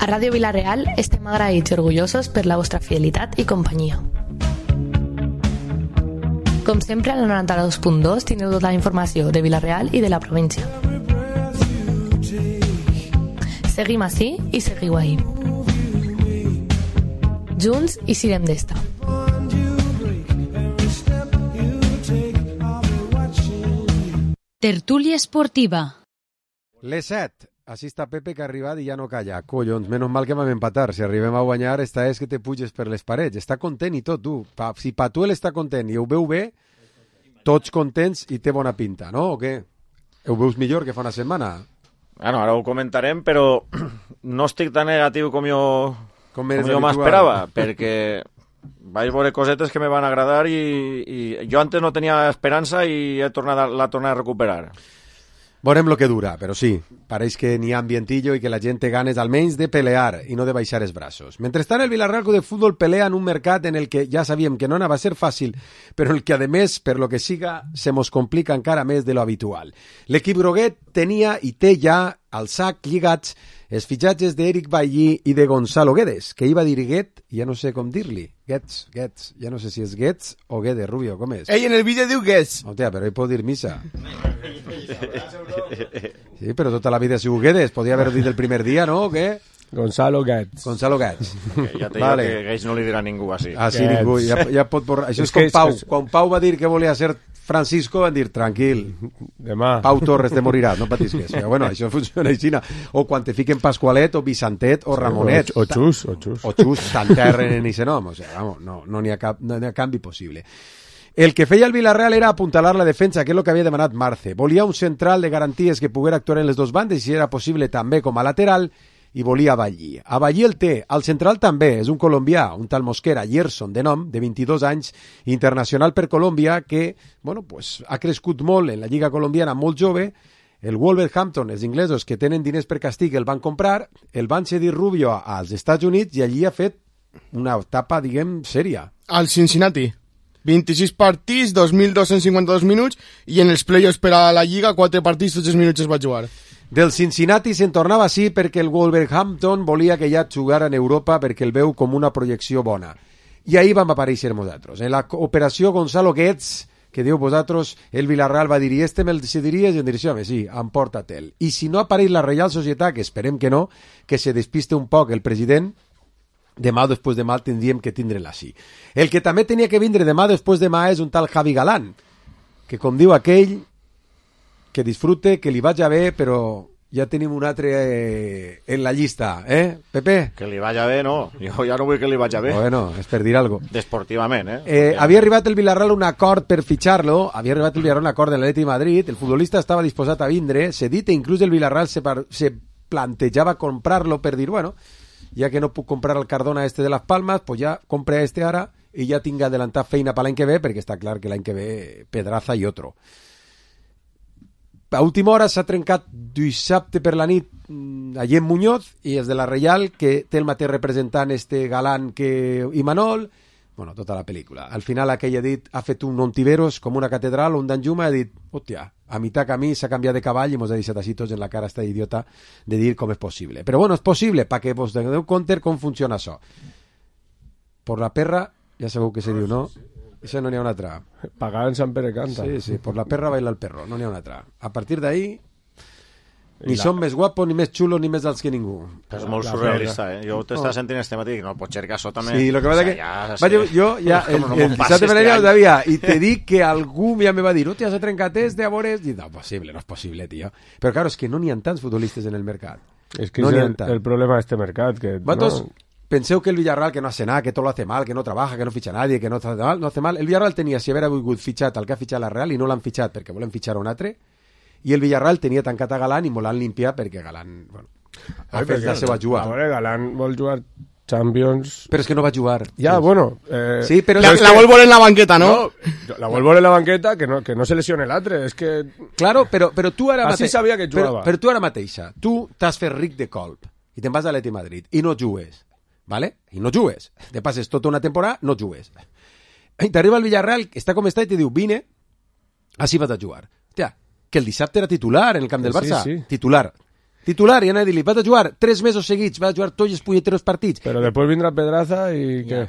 A Ràdio Vila-real estem agraïts i orgullosos per la vostra fidelitat i companyia. Com sempre, al 92.2 teniu tota la informació de Vila-real i de la província. Seguim ací i seguiu ahí. Junts i sirem d'esta. Tertúlia esportiva. Les 7. Així està Pepe, que ha arribat i ja no calla. Collons, menys mal que vam empatar. Si arribem a guanyar, esta és que te puges per les parets. Està content i tot, tu. Si Patuel està content i ho veu bé, tots contents i té bona pinta, no? O què? Ho veus millor que fa una setmana? Bueno, ara ho comentarem, però no estic tan negatiu com jo m'esperava, perquè vaig veure cosetes que me van agradar i jo antes no tenia esperança i la tornat a recuperar. Veurem lo que dura, però sí, pareix que n'hi ha ambientillo i que la gent té ganes almenys de pelear i no de baixar els braços. Mentrestant, el Villarreal Club de Futbol pelea en un mercat en el que ja sabíem que no anava a ser fàcil, però en el que, a més, per lo que siga, se mos complica encara més de lo habitual. L'equip groguet tenia i té ja al sac lligats els fitxatges d'Eric Bailly i de Gonzalo Guedes, que iba a dir Guet, ja no sé com dir-li. Guedes, ja no sé si és Guedes o Guedes, Rubio, com és? Ell en el vídeo diu Guedes. Hòstia, però ell pot dir Missa. Sí, però tota la vida ha sigut Guedes, podia haver dit el primer dia, no? O què? Gonzalo Guedes. Gonzalo Guedes. Ja te digo que Guedes no li dirà ningú així. Ah, sí, ningú, ja pot borrar. Això és com Pau. Quan Pau va dir que volia ser Francisco, van dir, tranquil, demà Pau Torres te moriràs, no patisques. Però bueno, això funciona així. O quan te fiquen Pasqualet, o Vicentet, o Ramonet. O Xus. O Xus, t'enterren en ese nom. O sea, vamos, no n'hi ha canvi possible. El que feia el Villarreal era apuntalar la defensa, que és el que havia demanat Marce. Volia un central de garanties que poguera actuar en les dos bandes, i si era possible també com a lateral, i volia a Bailly. A Bailly el té, al central també, és un colombià, un tal Mosquera, Gerson, de nom, de 22 anys, internacional per Colòmbia, que bueno, pues, ha crescut molt en la lliga colombiana, molt jove. El Wolverhampton, els inglesos que tenen diners per càstig, el van comprar, el van cedir Rubio als Estats Units i allí ha fet una etapa, diguem, sèria. Al Cincinnati. 26 partits, 2.252 minuts, i en els playoffs per a la Lliga, 4 partits, tots els minuts es va jugar. Del Cincinnati se'n tornava així perquè el Wolverhampton volia que ja jugara en Europa perquè el veu com una projecció bona. I ahir vam aparèixer nosaltres. En la operació Gonzalo Guedes, que diu vosaltres, el Villarreal va dir, i este me'l decidiries? I em diria, home, sí, emporta-te'l. I si no apareix la Reial Societat, que esperem que no, que se despiste un poc el president, demà o després demà tindríem que tindre-la així. El que també tenia que vindre demà o després demà és un tal Javi Galán, que com diu aquell, que disfrute, que li vagi bé, però ja tenim un altre en la llista, Pepe? Que li vagi bé, no. Jo ja no vull que li vagi bé. Bueno, és per dir alguna cosa. Desportivament, Havia arribat el Villarreal a un acord per fitxar-lo, havia arribat el Villarreal a un acord de l'Atlètic de Madrid, el futbolista estava disposat a vindre, cedit, i inclús el Villarreal se plantejava comprar-lo per dir, bueno, ja que no puc comprar el Cardona este de Las Palmas, pues ja compre este ara i ja tinc adelantat feina per l'any que ve, perquè està clar que l'any que ve Pedraza i otro. A última hora s'ha trencat dissabte per la nit allí en Muñoz, i és de la Reial, que té el mateix representant este Galán que Imanol, bueno, tota la pel·lícula. Al final aquell ha fet un Ontiveros com una catedral, un Danjuma, ha dit, hòstia, a mitjà camí s'ha canviat de cavall i mos ha deixat així tots en la cara esta idiota de dir com és possible. Però bueno, és possible, perquè vos doneu compte com funciona això. Por la perra, ja sabeu que se diu, no? Això no n'hi ha una altra. Pagar en Sant Pere canta. Sí, por la perra baila el perro, no n'hi ha una altra. A partir d'ahí, ni són més guapos, ni més xulos, ni més alts que ningú. És molt surrealista, Jo t'estava sentint este matí, no, pot ser que això també... Sí, lo que passa que... Jo ja, el dissabte per allà ho sabia, i te dic que algú ja me va dir, hòstia, s'ha trencat este, a veure... I no és possible, tio. Però claro, és que no n'hi ha tants futbolistes en el mercat. És que és el problema d'este mercat, que... Vosaltres penseu que el Villarreal, que no hace nada, que todo lo hace mal, que no trabaja, que no ficha a nadie, que no hace mal. El Villarreal tenia, si haver volgut fitxat el que ha fitxat la Real, i no l'han fitxat perquè volen fitxar un altre, i el Villarreal tenia tancat a Galán i molt l'han limpiat perquè Galán, bueno, ha fet la seva jugada. A veure, Galán vol jugar Champions... Però és que no va jugar. Ja, bueno... Sí, però la vol veure en la banqueta, no? La vol veure en la banqueta, que no se lesione l'altre, és que... Claro, però tu ara mateixa... Així sabia que jugava. Però tu ara mateixa, tu t'has fet ric de colp i te'n vas a l'Atlètic de Madrid i no jugues, ¿vale? I no jugues. Te passes tota una temporada, no jugues. I t'arriba el Villarreal, està com està, i te diu, vine, així vas a jugar. Hòstia, que el dissabte era titular en el camp del Barça. Sí. Titular. Titular, i anava a dir-li, vas a jugar 3 mesos seguits, vas a jugar tots els puñeteros partits. Però després vindrà Pedraza i què?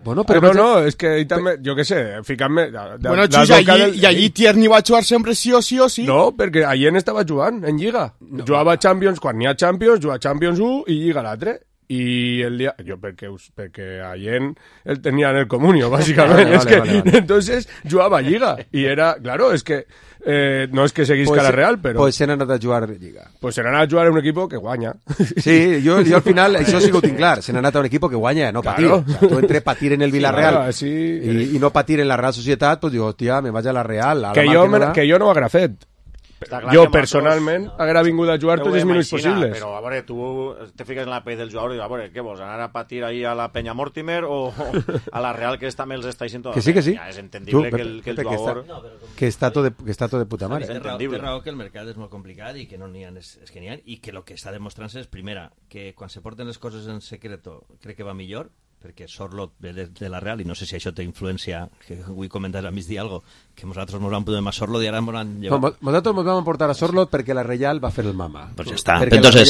Bueno, però no, és que ell també, jo què sé, ficant-me... Bueno, Xus, allí Tierney va jugar sempre sí o sí o sí. No, perquè allí estava jugant, en Lliga. Jugava a Champions, quan n'hi ha Champions, jugava Champions 1 i Lliga l'altre. I el dia... Jo, perquè allí el tenia en el comunio, bàsicament. Vale. Entonces, jugava a Lliga. I era... Claro, és que... no és que seguisca la Real, però... Pues se n'ha anat a jugar a Lliga. Pues se n'ha anat a jugar a un equip que guanya. Sí, jo al final, això sí que ho tinc clar, se n'ha anat a un equip que guanya, no patir. Claro. O sea, tu entre patir en el Villarreal sí, claro, i no patir en la Real Societat, pues digo, hòstia, me vaig a la Real. Que jo no ho haguera fet. Jo, personalment, haguera vingut a jugar tots els minuts possibles. Però, a veure, tu te fiques en la pell del jugador i, a veure, què vols, anar a patir ahí a la Peña Mortimer o a la Real, que també els està dient tot? Que sí. Ja és entendible que el jugador... Que està tot de puta mare. Té raó que el mercat és molt complicat i que no n'hi ha, és que n'hi ha, i que el que està demostrant-se és, primera, que quan se porten les coses en secreto crec que va millor, perquè Sorlot ve de la Real i no sé si això té influència, que avui comentes a migdia algo, que nosaltres ens vam posar a Sorlot i ara ens han llevat. Nosaltres ens vam portar a Sorlot perquè la Real va fer el mama. Pues ya está. Perquè entonces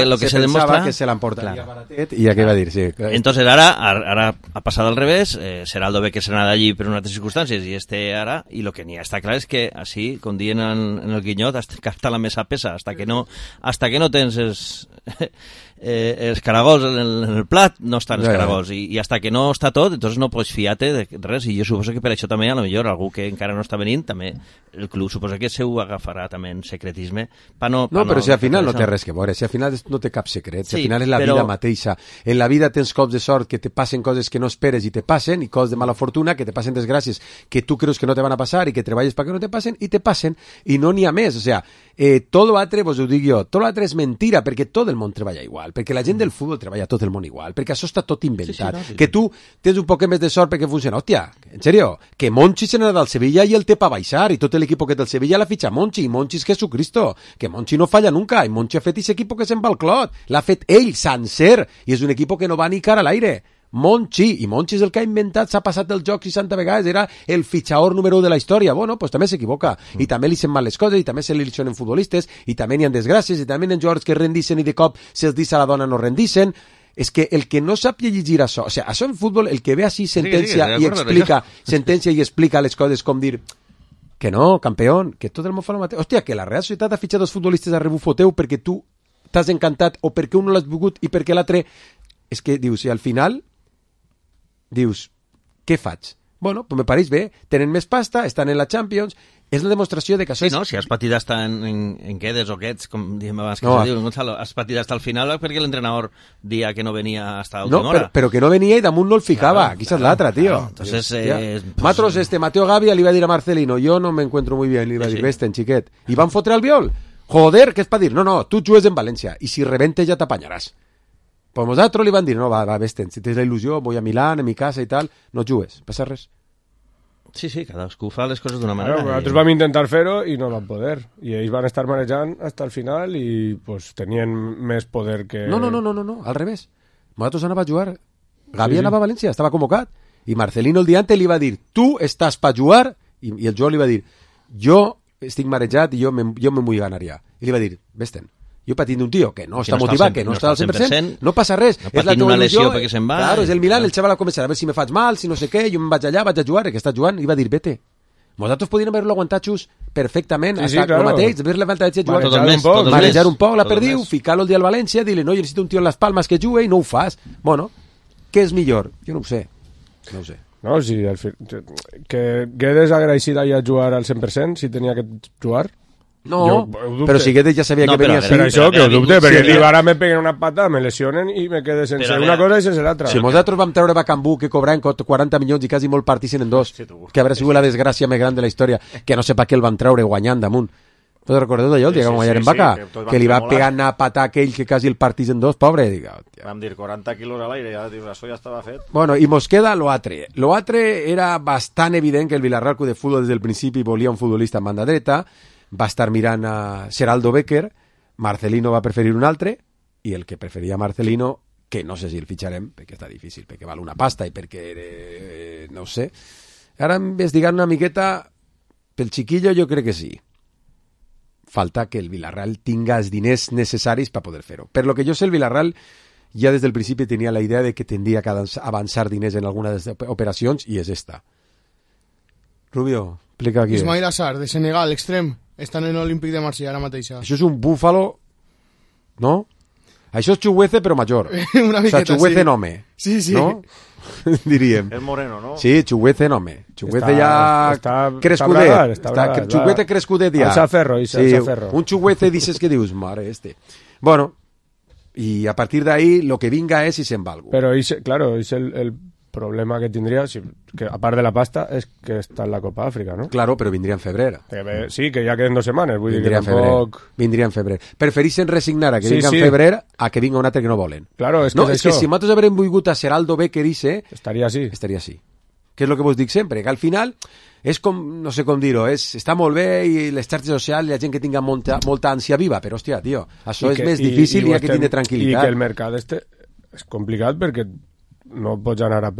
lo que se demuestra demuestra que se l'emportaria baratet i ja què va dir, sí. Entonces ara ha passat al revés, Seraldo ve que se n'ha d'allí per unes altres circumstàncies i ara, i lo que n'hi ha està clar és que així, com diuen en el Guinyot, hasta la mesa pesa, hasta que no tens els caragols en el plat, no estan els caragols, i hasta que no està tot, entonces no pots fiar-te de res, i jo suposo que per això també, a lo millor, algú que encara no està venint, també el club suposa que se ho agafarà també en secretisme. Però si al final no té res que veure, si al final no té cap secret, si al final és la vida mateixa. En la vida tens cops de sort que te passen coses que no esperes i te passen, i coses de mala fortuna que te passen desgràcies que tu creus que no te van a passar i que treballes perquè no te passen, i te passen, i no n'hi ha més. O sea, tot l'altre, vos ho dic jo, tot l'altre és mentira, perquè tot el món treballa igual, perquè la gent del futbol treballa tot el món igual, perquè això està tot inventat. Que tu tens un poc més de sort perquè funciona. Hòstia, en serio, que Monchi se n'ha del Sevilla i el té pa baixar, i tot l'equip que té el Sevilla l'ha fitxat Monchi, i Monchi és Jesucristo, que Monchi no falla nunca, i Monchi ha fet aquest equip que se'n va al clot, l'ha fet ell, sencer, i és un equip que no va ni cara a l'aire. Monchi, i Monchi és el que ha inventat, s'ha passat el joc 60 vegades, era el fitxador número 1 de la història. Bueno, pues també s'equivoca, i també li sent mal les coses, i també se li lesionen futbolistes, i també n'hi ha desgràcies, i també n'hi ha jugadors que rendixen i de cop se'ls dice a la dona no rendixen. És que el que no sap llegir això, o sigui, això en futbol, el que ve així sentencia i explica les coses com dir que no, campeón, que tot el món fa el mateix. Hòstia, que la Real Societat ha fitxat dos futbolistes a rebufo teu perquè tu t'has encantat o perquè un no l'has volgut i perquè l'altre... És que dius, i al final dius, què faig? Bueno, pues me pareix bé, tenen més pasta, estan en la Champions, és la demostració de que això sí, no, si has patit hasta en quedes o quets, com diem abans que se diu, Gonzalo, has patit hasta el final perquè l'entrenador dia que no venia hasta l'última hora. Però que no venia i damunt no el ficava, aquí és l'altra, tío. Entonces, Matros, Mateo Gavia li va dir a Marcelino, yo no me encuentro muy bien, li va dir, veste, xiquet, i van fotre el viol. Joder, què és per dir? No, tu jugues en València, i si rebentes ja t'apanyaràs. Pues nosaltres li van dir, no, va, veste, si tens la il·lusió, voy a Milán, a mi casa i tal, no jugues, passa res. Sí, cadascú fa les coses d'una manera. Nosaltres vam intentar fer-ho i no van poder. I ells van estar manejant fins al final i pues, tenien més poder que... No, al revés. Nosaltres anava a jugar. Gavi anava a València, estava convocat. I Marcelino el dia antes li va dir, tu estàs per jugar? I el Joao li va dir, jo estic marejat i jo me vull ganar ja. I li va dir, vés-te'n. Jo patint d'un tio que no està motivat, que no està al 100%, no passa res. No patint una lesió perquè se'n va. Claro, és el Milan, el xaval va començar a veure si me faig mal, si no sé què, jo me'n vaig allà, vaig a jugar, que està jugant, i va dir, vete. Vosaltres podien haver-lo aguantat xus perfectament, hasta el mateix, haver-la levantat i jugar. Manejar un poc la perdiu, ficar-lo el dia al València, dir-li, no, jo necessito un tio en les palmes que jugui, i no ho fas. Bueno, què és millor? Jo no ho sé. No, sí, que Guedes agraïcida ja a jugar al 100% si tenia que jugar. No, però si Guedes ja sabia que venia així. Per això que ho dubte, perquè diu, ara me peguen una pata, me lesionen i me quede sense una cosa i sense l'altra. Si nosaltres vam treure Bacambú, que cobraven 40 milions i quasi molt partixen en dos, que haurà sigut la desgràcia més gran de la història, que no sé per què el van treure guanyant damunt. Us recordeu d'allò, el dia que vam guanyar en Vaca? Que li va pegar a patar aquell que quasi el partís en dos, pobre. Vam dir 40 quilos a l'aire, això ja estava fet. Bueno, i mos queda l'altre. L'altre era bastant evident que el Villarreal Club de Futbol des del principi volia un futbolista en banda dreta, va estar mirant a Seraldo Becker, Marcelino va preferir un altre, i el que preferia Marcelino, que no sé si el fitxarem, perquè està difícil, perquè val una pasta i perquè, no ho sé. Ara investigant una miqueta, pel xiquillo jo crec que sí. falta que el Villarreal tinga els diners necessaris per poder fer-ho. Per lo que jo sé, el Villarreal ja des del principi tenia la idea de que tindria que avançar diners en algunes operacions i és esta. Rubio, explica aquí. Ismail Assar, de Senegal, extrem. Estan en l'Olímpic de Marsella ara mateix. Això és un búfalo, no? Això és Chuguece però major. Una miqueta, o sea, Chuguece sí. nome. Sí, sí. ¿No? Diríem. És moreno, no? Sí, Chuguece nome. Chuguece ja crescudet. Chuguece crescudet ja. Alça ferro, un Chuguece dices que dius, mare, Bueno, y a partir de ahí lo que venga es si se'n va algú. Pero claro, es el problema que tindria, que a part de la pasta, és que està en la Copa Àfrica, no? Claro, però vindria en febrer. Sí, que ja queden 2 setmanes. Vull vindria dir que tampoc... Vindria en febrer. Preferixen resignar a que vinga en febrer a que vinga un altre que no volen. Claro, és que no, és que si nosaltres haurem volgut a Seraldo Becker estaria així. Estaria així. Que és el que vos dic sempre, que al final és com, no sé com dir-ho, està molt bé i les xarxes socials i la gent que tinga molta ànsia viva, però hòstia, tio, això és més difícil i ha que tindre tranquil·litat. I que el mercat és complicat perquè no pots anar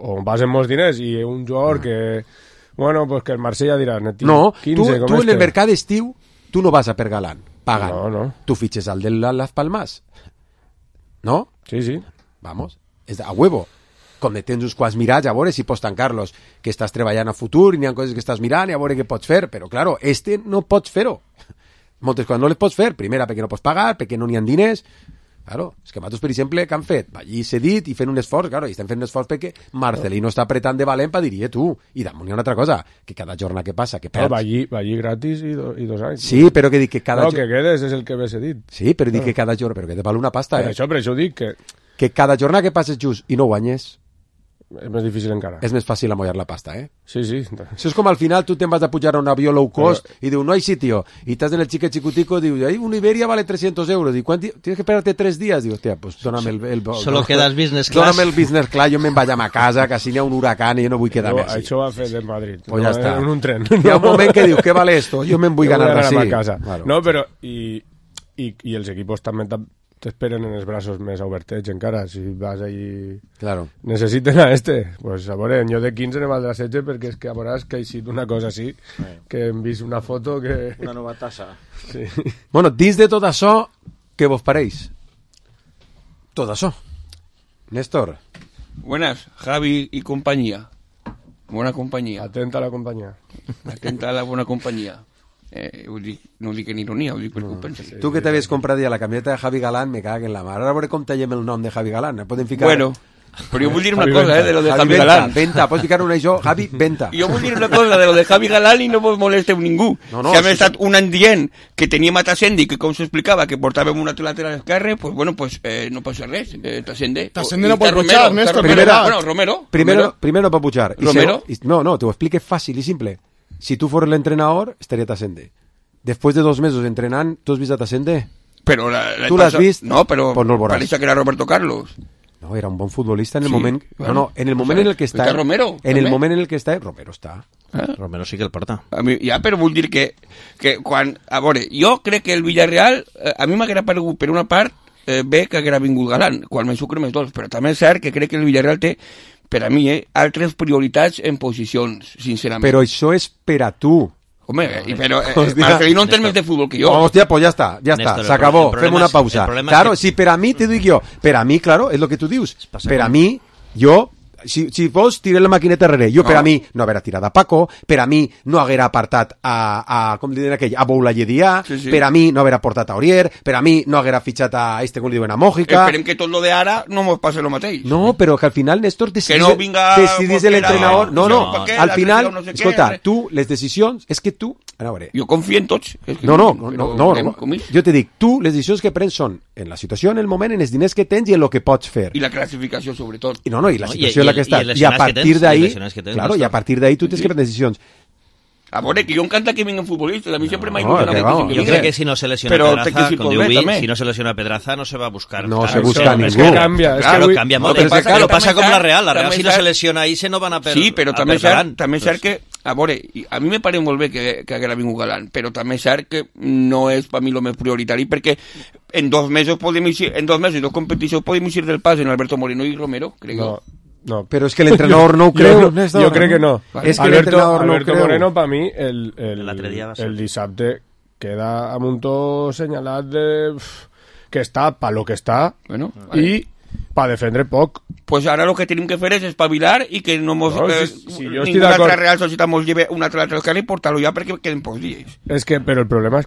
o vas amb molts diners i un jugador que, bueno, pues que el Marsella dirà... No, 15, tu en el mercat estiu, tu no vas a per Galán, pagant. No. Tu fitxes al de Las Palmas. ¿No? Sí. Vamos, és a huevo. Com tens uns quants mirats, a veure si pots tancar-los, que estàs treballant a futur i n'hi ha coses que estàs mirant i a veure què pots fer, però claro, no pots fer-ho. Moltes coses no les pots fer, primera perquè no pots pagar, perquè no n'hi ha diners. Claro, és que nosaltres, per exemple, que han fet? Allí cedit i fent un esforç, claro, i estem fent un esforç perquè Marcelino està apretant de valent per dir, tu, i damunt hi ha una altra cosa, que cada jornada que passa, que perds... Va allí gratis i 2 anys. Sí, però que dic que cada... No, que quedes és el que ve cedit. Sí, però dic que cada jornada... Però que te val una pasta, Per això ho dic, que... Que cada jornada que passes just i no guanyes... És més difícil encara. És més fàcil amollar la pasta, Sí. Això és com al final tu te'n vas a pujar a un avió low cost i diu, no hay sitio. Y estás en el chique chicutico y diu, un Iberia vale 300 euros. Y tienes que esperarte 3 días. Digo, hostia, pues dóname el Solo quedas business class. Dóname el business class, yo me vaig a casa, que si n'hi ha un huracán y yo no vull quedar-me així. Això va fer de Madrid. Pues ja està. En un tren. Hi ha un moment que diu, ¿qué vale esto? Yo me vull ganar así. Claro. No, però... I els equipos també t'esperen en els braços més obertets encara, si vas allí... Claro. Necessiten a pues a veure, jo de 15 ne valdrà 16 perquè és que a veuràs que ha eixit una cosa així, que hem vist una foto que... Una nova tassa. Sí. Bueno, dins de tot això, què vos pareix? Tot això. Néstor. Buenas, Javi y compañía. Buena compañía. Atenta a la compañía. Atenta a la buena compañía. No ho dic en ironia, ho dic per compensar. Tu que t'havies comprat ja la camiseta de Javi Galán, me cago en la mar. Ara veure com tallem el nom de Javi Galán. Podem ficar... Bueno, però jo vull dir una cosa, de lo de Javi Galán. Venta, pots ficar una això, Javi, venta. Jo vull dir una cosa de lo de Javi Galán i no vos molesteu ningú. Si hem estat un any dient que teníem a Tassendi, que com s'explicava, que portàvem un altre lateral esquerre, pues bueno, pues no passa res. Tassendi no pot pujar, Néstor. Romero. Primero no pot pujar. Romero. No, te ho explique fàcil i simple. Si tu fos l'entrenador, estaria Tassendi. Después de 2 mesos entrenant, ¿tú has visto a Tassendi? Pero ¿Tú l'has vist? No, pero pues no parece que era Roberto Carlos. No, era un bon futbolista en el moment... Bueno, no, en el moment en el que està... Romero. En el moment en el que està... Romero està. Romero sí que el porta. Ja, però vull dir que quan... A veure, jo crec que el Villarreal... A mi m'haguera paregut, per una part, bé que haguera vingut Galán, quan me sucre més dolç, però també és cert que crec que el Villarreal té, per a mi, altres prioritats en posicions, sincerament. Però això és per a tu. Home, pero Marcelino entén més de fútbol que yo. Hostia, pues ya está, se acabó, fem una pausa. Claro, si per a mi, te dic jo, per a mi, claro, és lo que tu dius, per a mi, jo, si vos tiré la maquineta darrere, jo per a mi no haguera tirat a Paco, per a mi no haguera apartat com li diuen aquell, a Boula Lledià, per a mi no haguera portat a Orier, per a mi no haguera fitxat a com li diuen, a Mójica. Esperem que tot lo de ara no mos passe lo mateix. No, però que al final, Néstor, decidís l'entrenador. No, al final, escolta, tu, les decisions, és que tu... Jo confio en tots. No, jo te dic, tu, les decisions que prens són en la situació, en el moment, en els diners que tens i en el que pots fer. I la classificació, sobretot. I la situació en la que estàs. I a partir d'ahí, claro, i a partir d'ahí tu tens que prendre decisions. A veure, que jo encanta que vinguen futbolistes, a mi sempre m'ha il·lusionat que crec que si no se lesiona Pedraza, com diu Vic, si no se lesiona Pedraza no se va a buscar. No se busca ningú. És que canvia. Claro, canvia molt. Però passa com la Real si no se lesiona ahí se no van a per... Sí, però també és cert que, a veure, a mi me pare molt bé que haguera vingut Galán, però també és cert que no és per mi el més prioritari, perquè en 2 mesos podem eixir, en 2 mesos, 2 competicions podem eixir del pas en Alberto Moreno i Romero, crec jo. No, però és que l'entrenador no ho creu. Jo crec que no. És que l'entrenador no ho creu. Alberto Moreno, per mi, el dissabte queda amb un to senyalat de... que està pa lo que està i pa defendre poc. Pues ara lo que tenim que fer és espavilar i que no mos, ninguna altra Real Societat mos lleve una altra lateral i portar-lo ja perquè queden pocs dies. És que, però el problema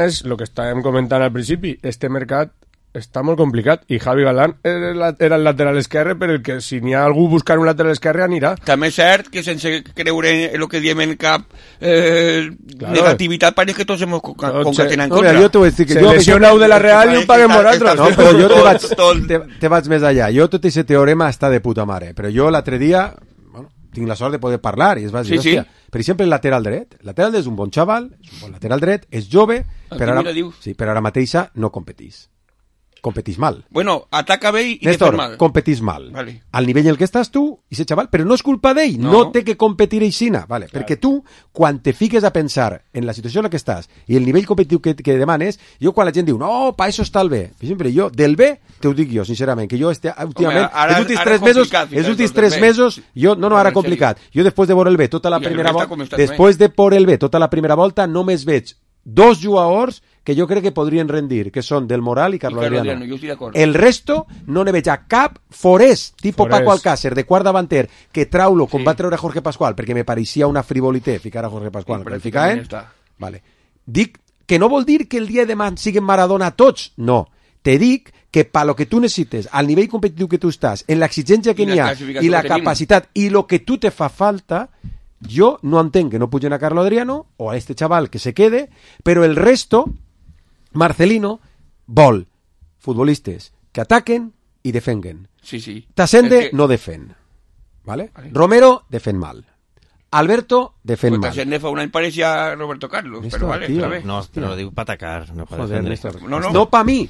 és el que estàvem comentant al principi, este mercat està molt complicat i Javi Galán era el lateral esquerre, però el que si n'hi ha algú buscant un lateral esquerre anirà. També és cert que sense creure en el que diem en cap negativitat pareix que tots hem concatenat en contra. Jo t'ho vaig dir que se lesiona de la Real i ho paguem nosaltres. No, però jo te vaig més allà. Jo tot aquest teorema està de puta mare, però jo l'altre dia tinc la sort de poder parlar i es va dir, hòstia, per exemple, el lateral dret. El lateral és un bon xaval, és un bon lateral dret, és jove, però ara mateixa no competís. Competís mal. Bueno, ataca bé i Néstor, defèn mal. competís mal. Vale. Al nivell en el que estàs tu, i ese xaval, però no és culpa d'ell, no té que competir aixina, vale? Claro. Perquè tu, quan te fiques a pensar en la situació en la que estàs i el nivell competitiu que demanes, jo quan la gent diu, no, pa això està el bé. Per exemple, jo, del bé, te ho dic jo, sincerament, que jo últimament, els últims 3 mesos, jo, ara complicat. Jo, després de veure el bé tota la primera volta, només veig 2 jugadors que jo crec que podrien rendir, que són Del Moral i Carlos Adriano. El resto no ne veig a cap Forés, tipo Paco Alcácer, de quart davanter, que trau-lo com va treure Jorge Pascual, perquè me pareixia una frivolité ficar a Jorge Pascual. Vale. Dic que no vol dir que el dia de demà siguin Maradona tots, no. Te dic que pa lo que tu necessites, al nivell competitiu que tu estàs, en l'exigència que n'hi ha, i la capacitat, i lo que tu te fa falta, jo no entenc que no pugen a Carlos Adriano o a este chaval que se quede, però el resto, Marcelino vol futbolistes que ataquen i defenguen. Sí. Tasende no defèn. ¿Vale? Romero defèn mal. Alberto defèn mal. Tasende fa un any pareixia Roberto Carlos, però vale, tío, no, però diu pa atacar, no pa defendre. No pa mi.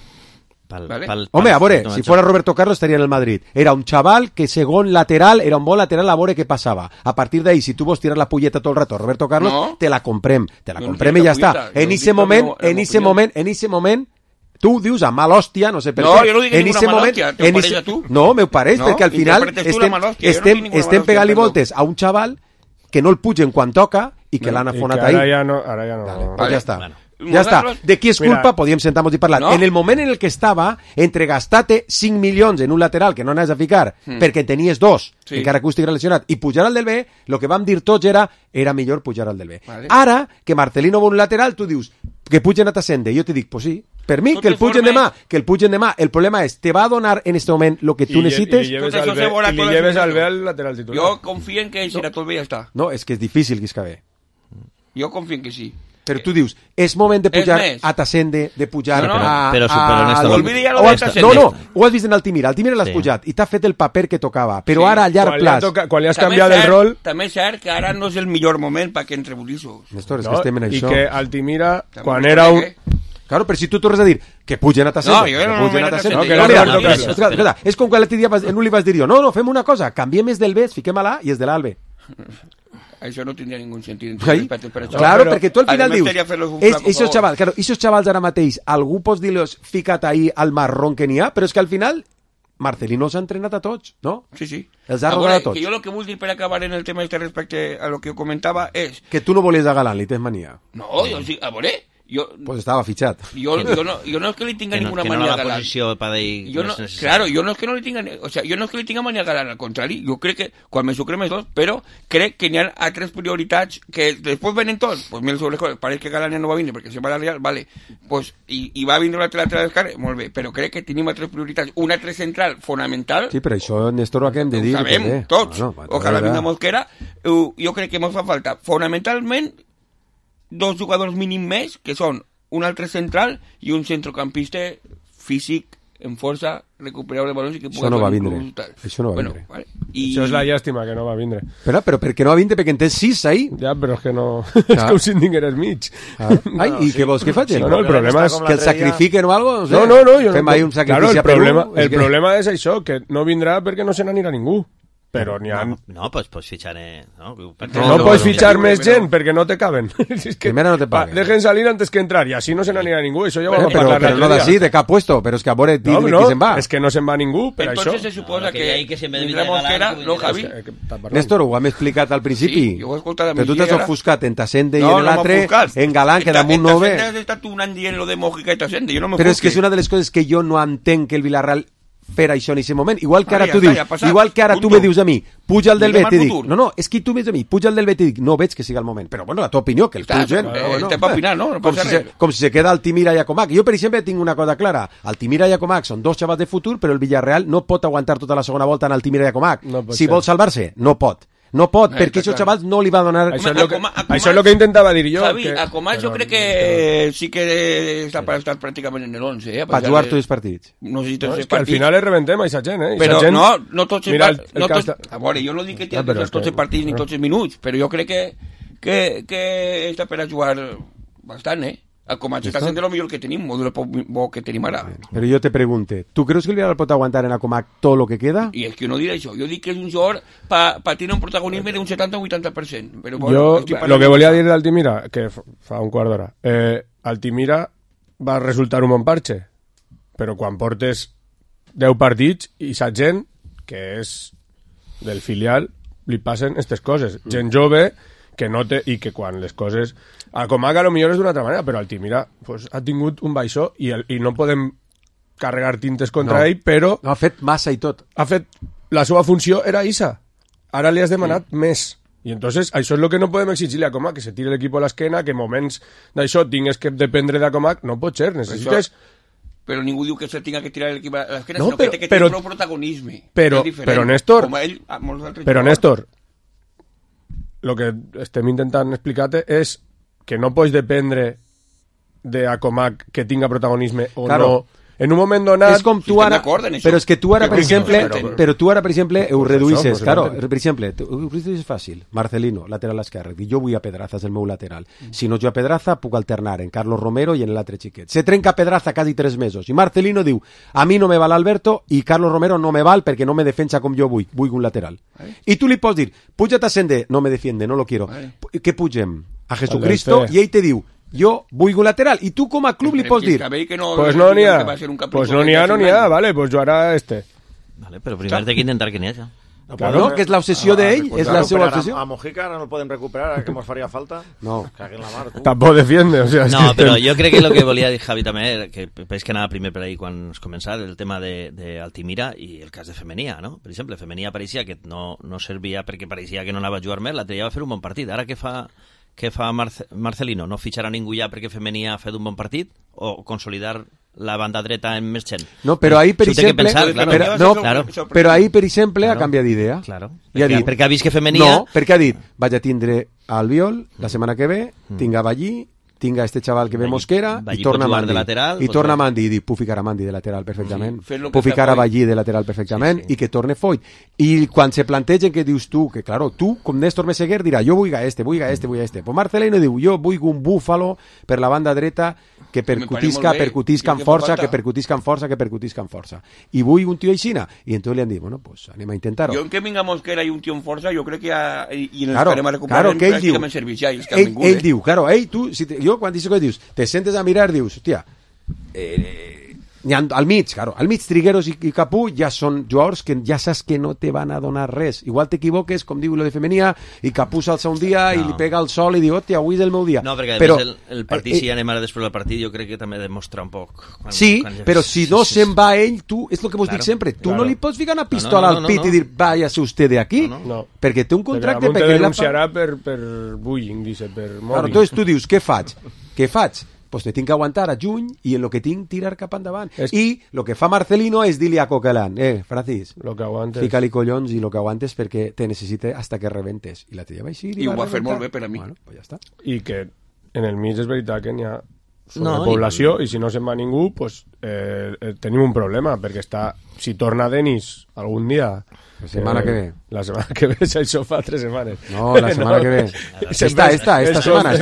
Home, a veure, si fuera Roberto Carlos estaria en el Madrid. Era un chaval que segon lateral, era un bon lateral a veure què passava. A partir d'ahí, si tu vols tirar la pulleta tot el rato a Roberto Carlos, te la comprem i ja està. En ese moment, tu dius a mal hòstia, no sé per què. No, jo no dic ninguna mal hòstia, te ho pareix a tu? No, m'ho pareix, perquè al final estem pegant-li voltes a un chaval que no el pugen quan toca i que l'han afonat ahí. Ara ja no. Pues ja està. Ja està. De qui és culpa? Podíem sentar-nos i parlar. No. En el moment en el que estava, entre gastar-te 5 milions en un lateral que no anaves a ficar perquè tenies 2, encara que estigui relacionat, i pujar al del B, el que vam dir tots era millor pujar al del B. Vale. Ara, que Marcelino vol un lateral, tu dius que pugen a Tasende. Jo te dic, pues sí, per mi, que el pugen demà. El problema és, te va a donar en este moment el que tu necessites? I li lleves al B al lateral titular. Jo confio en que serà tot bé i ja està. No, és que és difícil que es cabe. Jo confio en que sí. Però tu dius, és moment de pujar a Tasende, de pujar a... Olvida ja lo de Tasende. No, ho has vist en Altimira. Altimira l'has pujat i t'ha fet el paper que tocava. Però ara, a llarg plaç... Quan li has canviat el rol... També és cert que ara no és el millor moment perquè entre bulissos. Néstor, és que estem en això. I que Altimira, quan era un... Claro, però si tu tornes a dir que pugen a Tasende... No, jo no pugen a Tasende. És com quan l'altre dia en un li vas dir jo, no, fem una cosa, canviem els del B, fiquem a l'A i els de l'Albe. Això no tindria ningún sentit. Claro, perquè tu al final dius, esos xavals ara mateix, algú pots dir-los ficat ahí al marrón que n'hi ha, però és que al final Marcelino s'ha entrenat a tots, no? Sí. Els ha rodat a tots. Jo el que vull dir per acabar en el tema respecte a lo que jo comentava és... Que tu no volies a Galán, li tens mania. No, jo sí, a veure... Pues estaba fichado. Yo no es que le tenga ninguna manía a Galán. Claro, yo no es que no le tenga, o sea, yo no es que le tenga manía a Galán, al contrario, yo creo que quan me sucre més dos, però crec que n'hi ha altres prioritats que després venen tots, pues mira sobre les pareix que Galán ja no va vindre perquè se va a la Real, vale, pues i va vindre l'altre lateral d'esquerra, molt bé, però crec que tenim altres prioritats, un altre central fonamental. Sí, però això Néstor ho acabem de dir. Ho sabem, tots, ojalà vinga Mosquera, jo crec que ens fa falta fonamentalment 2 jugadors mínim més, que són un altre central i un centrocampista físic, en força, recuperar els balons i que pugui... Això no va vindre. Això no va vindre. Vale. Això és la llàstima, que no va vindre. Però per què no va vindre? Perquè en tens 6 ahí. Ja, però és que no... És que ho sinding eres mig. Ai, i què vols que facin? No, el problema és... Que el sacrifiquen o algo? No. Fem ahí un sacrifici a Perú. El problema és això, que no vindrà perquè no se n'anirà ningú. Però n'hi ha... No, pues ficharé... No pots fitxar més gent perquè no te caben. Es que, primero no te paguen. Dejen salir antes que entrar y así no se n'anirà ningú. Eso ja ho vam Pero parlar no d'ací, de cap puesto, però és que a veure qui se'n va. És que no se'n va ningú, per Entonces això. se suposa que si en vez de Ramon Galán, Mosquera, no, Javi. Néstor, ho hem explicat al principi. Sí, jo ho he escoltat a però tu t'has migdia, ofuscat en Tassende i No, en no l'altre, m'he ofuscat. en Galán, que damunt no ve. Has estat un any dient lo de Mojica i Tassende, jo no Però és que és una de les coses que jo no entenc que el Villarreal fer això en aquest moment. Igual que ara tu dius, igual que ara tu me dius a mi, puja el del Bet i dic, no, és que tu me dius a mi, puja el del Bet i dic, no veig que sigui el moment. Però bueno, la teva opinió, que el pugen. Te va opinar, no? Com si se queda Altimira i Acomac. Jo, per exemple, tinc una cosa clara. Altimira i Acomac són dos xavals de futur, però el Villarreal no pot aguantar tota la segona volta en Altimira i Acomac. Si vol salvar-se, no pot. No pot, perquè aquests xavals no li va donar... Això és el que intentava dir jo. Javi, a Comas jo crec que sí que està per estar pràcticament en el 11. Per jugar tots els partits. No sé si tots els partits. Al final es rebentem a aquesta gent, Però no tots els partits... A veure, jo no dic que té tots els partits ni tots els minuts, però jo crec que està per a jugar bastant, A Comas està sent de lo millor que tenim, o de lo bo que tenim ara. Però jo te pregunte, tu creus que el Villarreal pot aguantar en Acomac tot lo que queda? I és que no diré això, jo dic que és un jugador per tenir un protagonisme d'un 70 o 80%. Però, bueno, jo, lo que volia dir d'Altimira, que fa un quart d'hora, Altimira va resultar un bon parche, però quan portes 10 partits i sa gent, que és del filial, li passen aquestes coses. Gent jove que no té, i que quan les coses... A Comac a lo millor és d'una altra manera, però Altimira pues, ha tingut un baixó i no podem carregar tintes contra ell, però... No, ha fet massa i tot. Ha fet... La seva funció era isa. Ara li has demanat més. I entonces això és el que no podem exigir-li a Comac, que se tire l'equip a l'esquena, que moments d'això tingues que dependre de Comac, no pot ser, necessites... Però ningú diu que se tinga que tirar l'equip a l'esquena, sinó que té que tenir prou protagonisme. Però Néstor... Com ell, molts altres però Néstor, el que estem intentant explicar-te és que no pots dependre de Acomac que tinga protagonisme o no. En un moment donat... És com tu ara... Però és que tu ara, per exemple, ho reduïsses. Claro, per exemple, ho reduïsses fàcil. Marcelino, lateral esquerre. Jo vull a Pedraza, és el meu lateral. Si no jo a Pedraza, puc alternar en Carlos Romero i en l'altre xiquet. Se trenca Pedraza quasi 3 mesos. I Marcelino diu, a mi no me val Alberto i Carlos Romero no me val perquè no me defensa com jo vull. Vull un lateral. I tu li pots dir, puja Tassende, no me defiende, no lo quiero. Què pugem? A Jesucristo i ell te diu, jo vull un lateral, i tu com a club li pots dir pues no n'hi ha, vale, pues jo ara vale, però primer té que intentar que n'hi hagi claro, que és l'obsessió d'ell, és la seva obsessió. A Mojica ara no el podem recuperar, ara que ens faria falta. No. Caguen la mar, tu. Tampoc defiende, o sea, no, però jo crec que el que volia dir Javi també era que penso que anava primer per ahí quan es començava el tema d'Altimira i el cas de Femenia, no? Per exemple, Femenia pareixia que no servia perquè pareixia que no anava a jugar més, l'altre dia va fer un bon partit. Ara què fa Marcelino? No fitxarà ningú ja perquè Femenia ha fet un bon partit? O consolidar la banda dreta en més gent? No, però ahir, per exemple, però ahir, per exemple, ha canviat d'idea. Claro. Perquè ha vist que Femenia... No, perquè ha dit, vaig a tindre Albiol la setmana que ve, tinc a Ballí, tinc a este chaval que ve Mosquera i torna Mandi. I torna Mandi i dic, puc ficar a Mandi de lateral perfectament, puc ficar a Ballí de lateral perfectament i que torne Foyt. I quan se plantegen que dius tu, que claro, tu com Néstor Meseguer dirà, jo vull a este. Pues Marcelino diu, jo vull un búfalo per la banda dreta que percutisca amb força, i vull un tio aixina. I entonces li han dit, bueno, pues anem a intentar-ho. Jo en que vinga Mosquera i un tio amb força, jo crec que ja, i ens farem a recuperar pràcticament serveix ja, ell diu, claro, tu, jo quan dius que dius, te sentes a mirar, dius, hòstia, al mig Trigueros i Capú ja són jugadors que ja saps que no te van a donar res. Igual t'equivoques, com diu lo de Femenia, i Capú s'alça un dia i li pega el sol i diu, hòstia, avui és el meu dia. No, perquè a més el partit, si anem ara després del partit, jo crec que també demostra un poc. Però si no se'n va ell, tu, és el que vos dic sempre, tu no li pots ficar una pistola al pit i dir, váyase usted de aquí, perquè té un contracte... Però te denunciarà per bullying, dice, per mòbil. Entonces tu dius, què faig? Pues te tinc que aguantar a juny i en lo que tinc tirar cap endavant. I lo que fa Marcelino és dir-li a Coquelin, Francis, fica-li collons i lo que aguantes perquè te necessite hasta que rebentes. I la tria va així. I ho va fer molt bé per a mi. Bueno, pues ja està. I que en el mig és veritat que n'hi ha sobrepoblació i si no se'n va ningú, pues tenim un problema, perquè si torna Denis algun dia... La setmana que ve. La setmana que ve, això fa 3 setmanes. No, la setmana que ve. Esta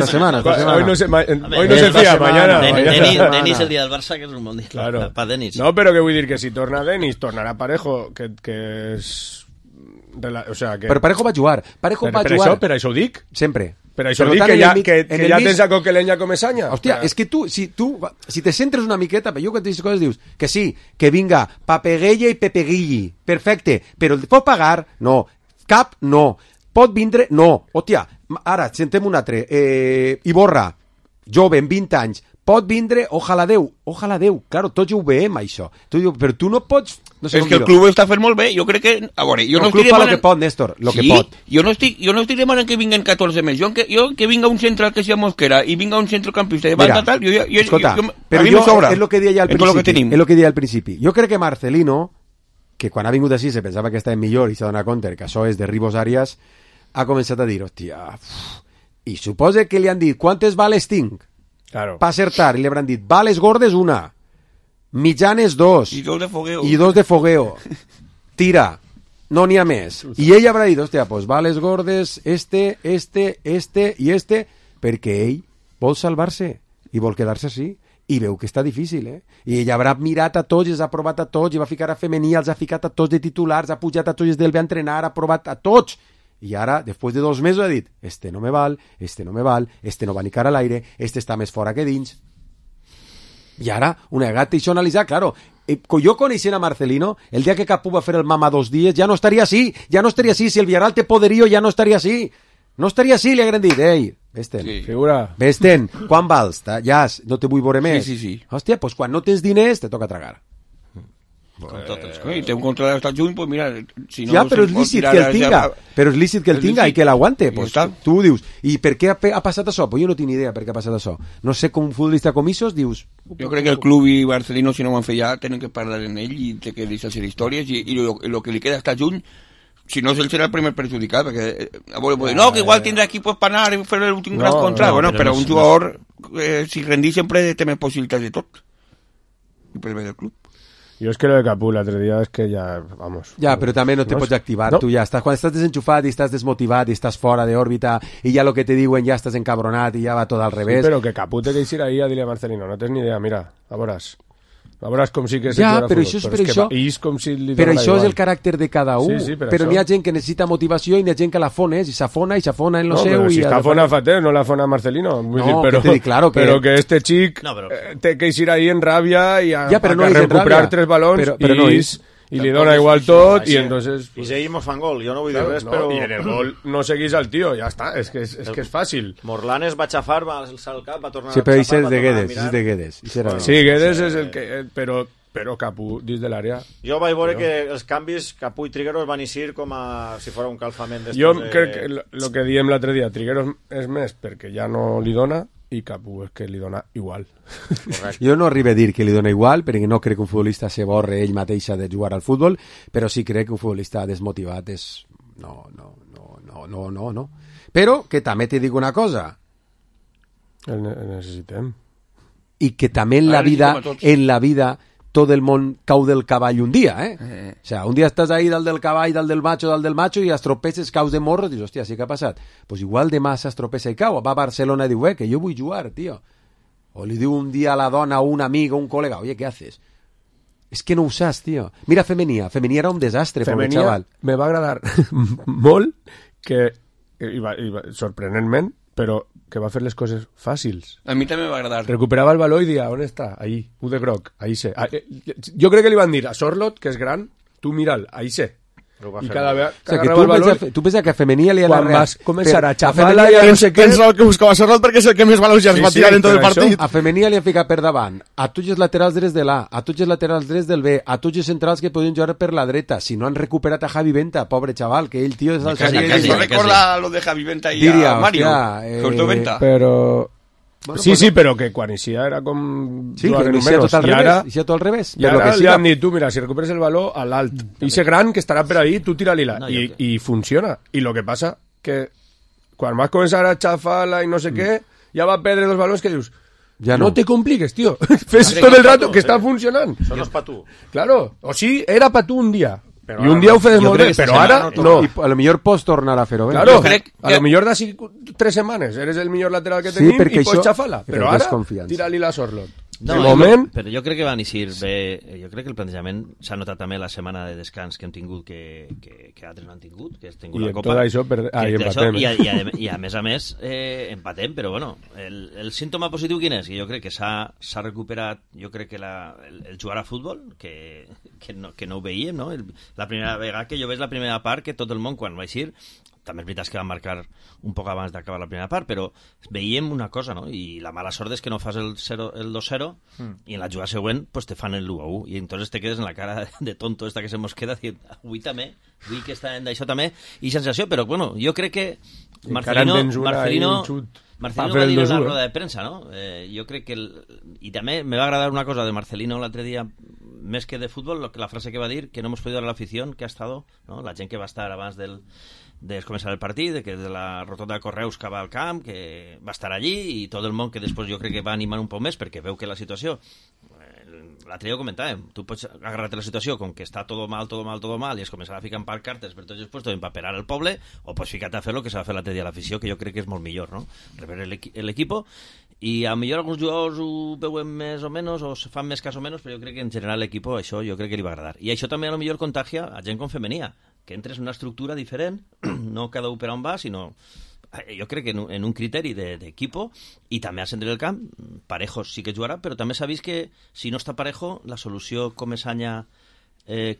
semana. Hoy no se fía, mañana. Denis el dia del Barça, que és un bon dia. Claro. Pa Denis. No, però que vull dir que si torna Denis, tornarà Parejo, que és O sea, que... Però Parejo va jugar. Parejo va jugar. Per això ho dic. Sempre. Per això dic que ja tens a Coquelenya com Esanya. Hòstia, és que si te centres una miqueta, jo quan dius coses dius que sí, que vinga Papeguella i Pepeguilli, perfecte, però el pot pagar? No. Cap? No. Pot vindre? No. Hòstia, ara, sentem un altre. Iborra, jove, amb 20 anys, pot vindre? Ojalà Déu. Claro, tots ho veiem, això. Però tu no pots... No sé és que el club està fent molt bé, jo crec que... A veure, jo el no club fa el que pot, Néstor, el que pot. Jo no estic demanant que vinguen 14 més, jo que vinga un central que sigui Mosquera i vinga un centrocampista de banda tal, escolta, però jo és el que deia al principi. Jo crec que Marcelino, que quan ha vingut així se pensava que estava millor i s'ha donat compte que això és de Ribos Arias, ha començat a dir, hòstia, i suposa que li han dit, quantes bales tinc? Claro. Pa acertar, i li hauran dit, bales gordes una, mitjanes 2 i 2 de fogueo tira, no n'hi ha més, i ell haurà dit, hòstia, pues bales gordes este i este, perquè ell vol salvar-se i vol quedar-se així i veu que està difícil, i ell haurà mirat a tots, els ha provat a tots, i va ficar a femení, els ha ficat a tots de titulars, ha pujat a tots del ve a entrenar, ha provat a tots, i ara, després de 2 mesos ha dit, este no me val, este no va ni cara a l'aire, este està més fora que dins. I ara, una vegada això analitzar, claro, jo coneixent a Marcelino, el dia que Capú va fer el mama 2 dies, ja no estaria així, si el Villarreal té poderío, ja no estaria així, li hagueren dit, ei, vés-te'n, figura, vés-te'n, quan vals, ja, no te vull veure més, sí. Hòstia, pues quan no tens diners, te toca tragar. I té un contrat hasta el juny, pues mira, si no... Ja, però és lícit que el tinga, i que l'aguante, pues tu dius, i per què ha passat això? Pues jo no tinc idea per què ha passat això. No sé, com un futbolista com Isos, dius... Jo crec que el club i Barcelona, si no ho han fet ja, tenen que parlar en ell i té que deixar ser històries, i lo que li queda hasta el juny, si no, ell serà el primer perjudicat, perquè no, que igual tindrà aquí pues, per anar a fer l'últim gran contrat, bueno, però un jugador, si rendís sempre té més possibilitats de tot, i per bé del club. Jo és que lo de Capú l'altre dia és que ja, vamos... Ja, però també no te pots activar, tu ja estàs... Quan estàs desenxufat i estàs desmotivat i estàs fora d'òrbita i ja lo que te diuen ja estàs encabronat i ja va tot al revés... Sí, però que Capú té que ir ahí a dir a Marcelino, no tens ni idea, mira, a veuràs com sí que ja, però això és el caràcter de cada un, sí, però n'hi ha gent que necessita motivació i n'hi ha gent que la fones i s'afona en lo seu... No, però si està fona Fater, no la fona Marcelino. Claro però que este xic té que ir ahí en ràbia i a recuperar 3 balons i li dona igual tot i entonces... I seguimos fan gol, jo no vull dir res, però... I en el gol no seguís al tio, ja està, és que és fàcil. Morlanes va xafar, va alçar el cap, va tornar a xafar... Sí, però és de Guedes. Sí, Guedes és el que... Però Capú, dins de l'àrea... Jo vaig veure que els canvis, Capú i Trigueros van eixir com a si fos un calfament d'estos... Jo crec que el que diem l'altre dia, Trigueros és més perquè ja no li dona i Capú és que li dona igual. Jo no arribo a dir que li dona igual, perquè no crec que un futbolista se borre ell mateixa de jugar al futbol, però sí crec que un futbolista desmotivat és... No. Però que també te dic una cosa. El necessitem. I que també en la vida tot el món cau del cavall un dia, O sea, un dia estàs ahí dalt del cavall, dalt del macho, i es tropeces, caus de morro, i dius, hòstia, sí que ha passat. Pues igual demà s'estropessa i cau. Va a Barcelona i diu, que jo vull jugar, tío. O li diu un dia a la dona, a un amic, a un col·lega, oye, ¿qué haces? És que no ho saps, tío. Mira Femenia era un desastre, pobre xaval. Me va agradar molt que, sorprenentment, però que va fer les coses fàcils. A mi també m'va agradar. Recuperava el valor i dia, on està? Ahí, u de groc, ahí sé. Jo crec que li van dir a Sorlot, que és gran, tu mira'l, ahí sé. I cada vegada agarrava el valor... Tu penses que a Femenia li ha anat... Quan vas començar a xafar-la i no sé què... Pensa el que buscava Sorlot perquè és el que més valors ja es va tirar en tot el partit. A Femenia li han ficat per davant a tots els laterals drets de l'A, a tots els laterals drets del B, a tots els centrals que podien jugar per la dreta. Si no han recuperat a Javi Venta, pobre xaval, que ell, tio... No recorda lo de Javi Venta i a Mario. Corto Venta. Però... Bueno, sí, però que quan eixia era com... Sí, que eixia tot al revés. I ara li han dit, tu, mira, si recuperes el valor a l'alt, ixe gran que estarà per ahí, tu tira-li-la. I funciona. I lo que passa que quan vas començar a xafar-la i no sé què, ja va perdre dos valors que dius, ja no te compliques, tío. Fes tot el rato que està funcionant. Això no és pa tu. Claro, o sí, era pa tu un dia. I un dia ho fes molt bé, però ara no. I a lo millor pots tornar a fer-ho bé. Claro, a lo millor d'ací 3 setmanes eres el millor lateral que tenim i pots xafar-la. Però ara, tira-li la Sorlot. de moment... Però jo crec que van eixir bé, jo crec que el plantejament s'ha notat també la setmana de descans que hem tingut que altres no han tingut, que has tingut I la Copa. tot això empatem. I a més, empatem, però bueno, el símptoma positiu quin és? Jo crec que s'ha recuperat, jo crec que el jugar a futbol, que no ho veiem, no? La primera vegada que jo veig la primera part, que tot el món quan va eixir, també és veritat que va marcar un poc abans d'acabar la primera part, però veiem una cosa, no? I la mala sort és que no fas el 2-0 i en la jugada següent pues te fan el 1-1 i entonces te quedes en la cara de tonto esta que se mos queda dient, avui també, avui que està en d'això també, i sensació, però bueno, jo crec que Marcelino va dir en la roda de premsa, no? Jo crec que i també me va agradar una cosa de Marcelino l'altre dia, més que de futbol, la frase que va dir, que no hemos podido dar a la afición que ha estado, ¿no? La gent que va estar abans de començar el partit, que de la rotonda de Correus que va al camp, que va estar allí, i tot el món que després jo crec que va animar un poc més, perquè veu que la situació, l'altre dia ho comentàvem, tu pots agarrar-te la situació com que està tot mal, i es començarà a ficar en pancartes per tots els puestos per paperar el poble, o pots ficar-te a fer el que s'ha de fer l'altre dia a l'afició, que jo crec que és molt millor, no? Rebre l'equipo, i a millor alguns jugadors ho veuen més o menys, o se fan més cas o menys, però jo crec que en general l'equipo això jo crec que li va agradar. I això també a lo millor contagia a gent com Femenia, que entres en una estructura diferent, no cada un per on va, sinó jo crec que en un criteri d'equipo, i també al centre del camp, Parejo sí que jugarà, però també s'ha vist que si no està Parejo, la solució Comesaña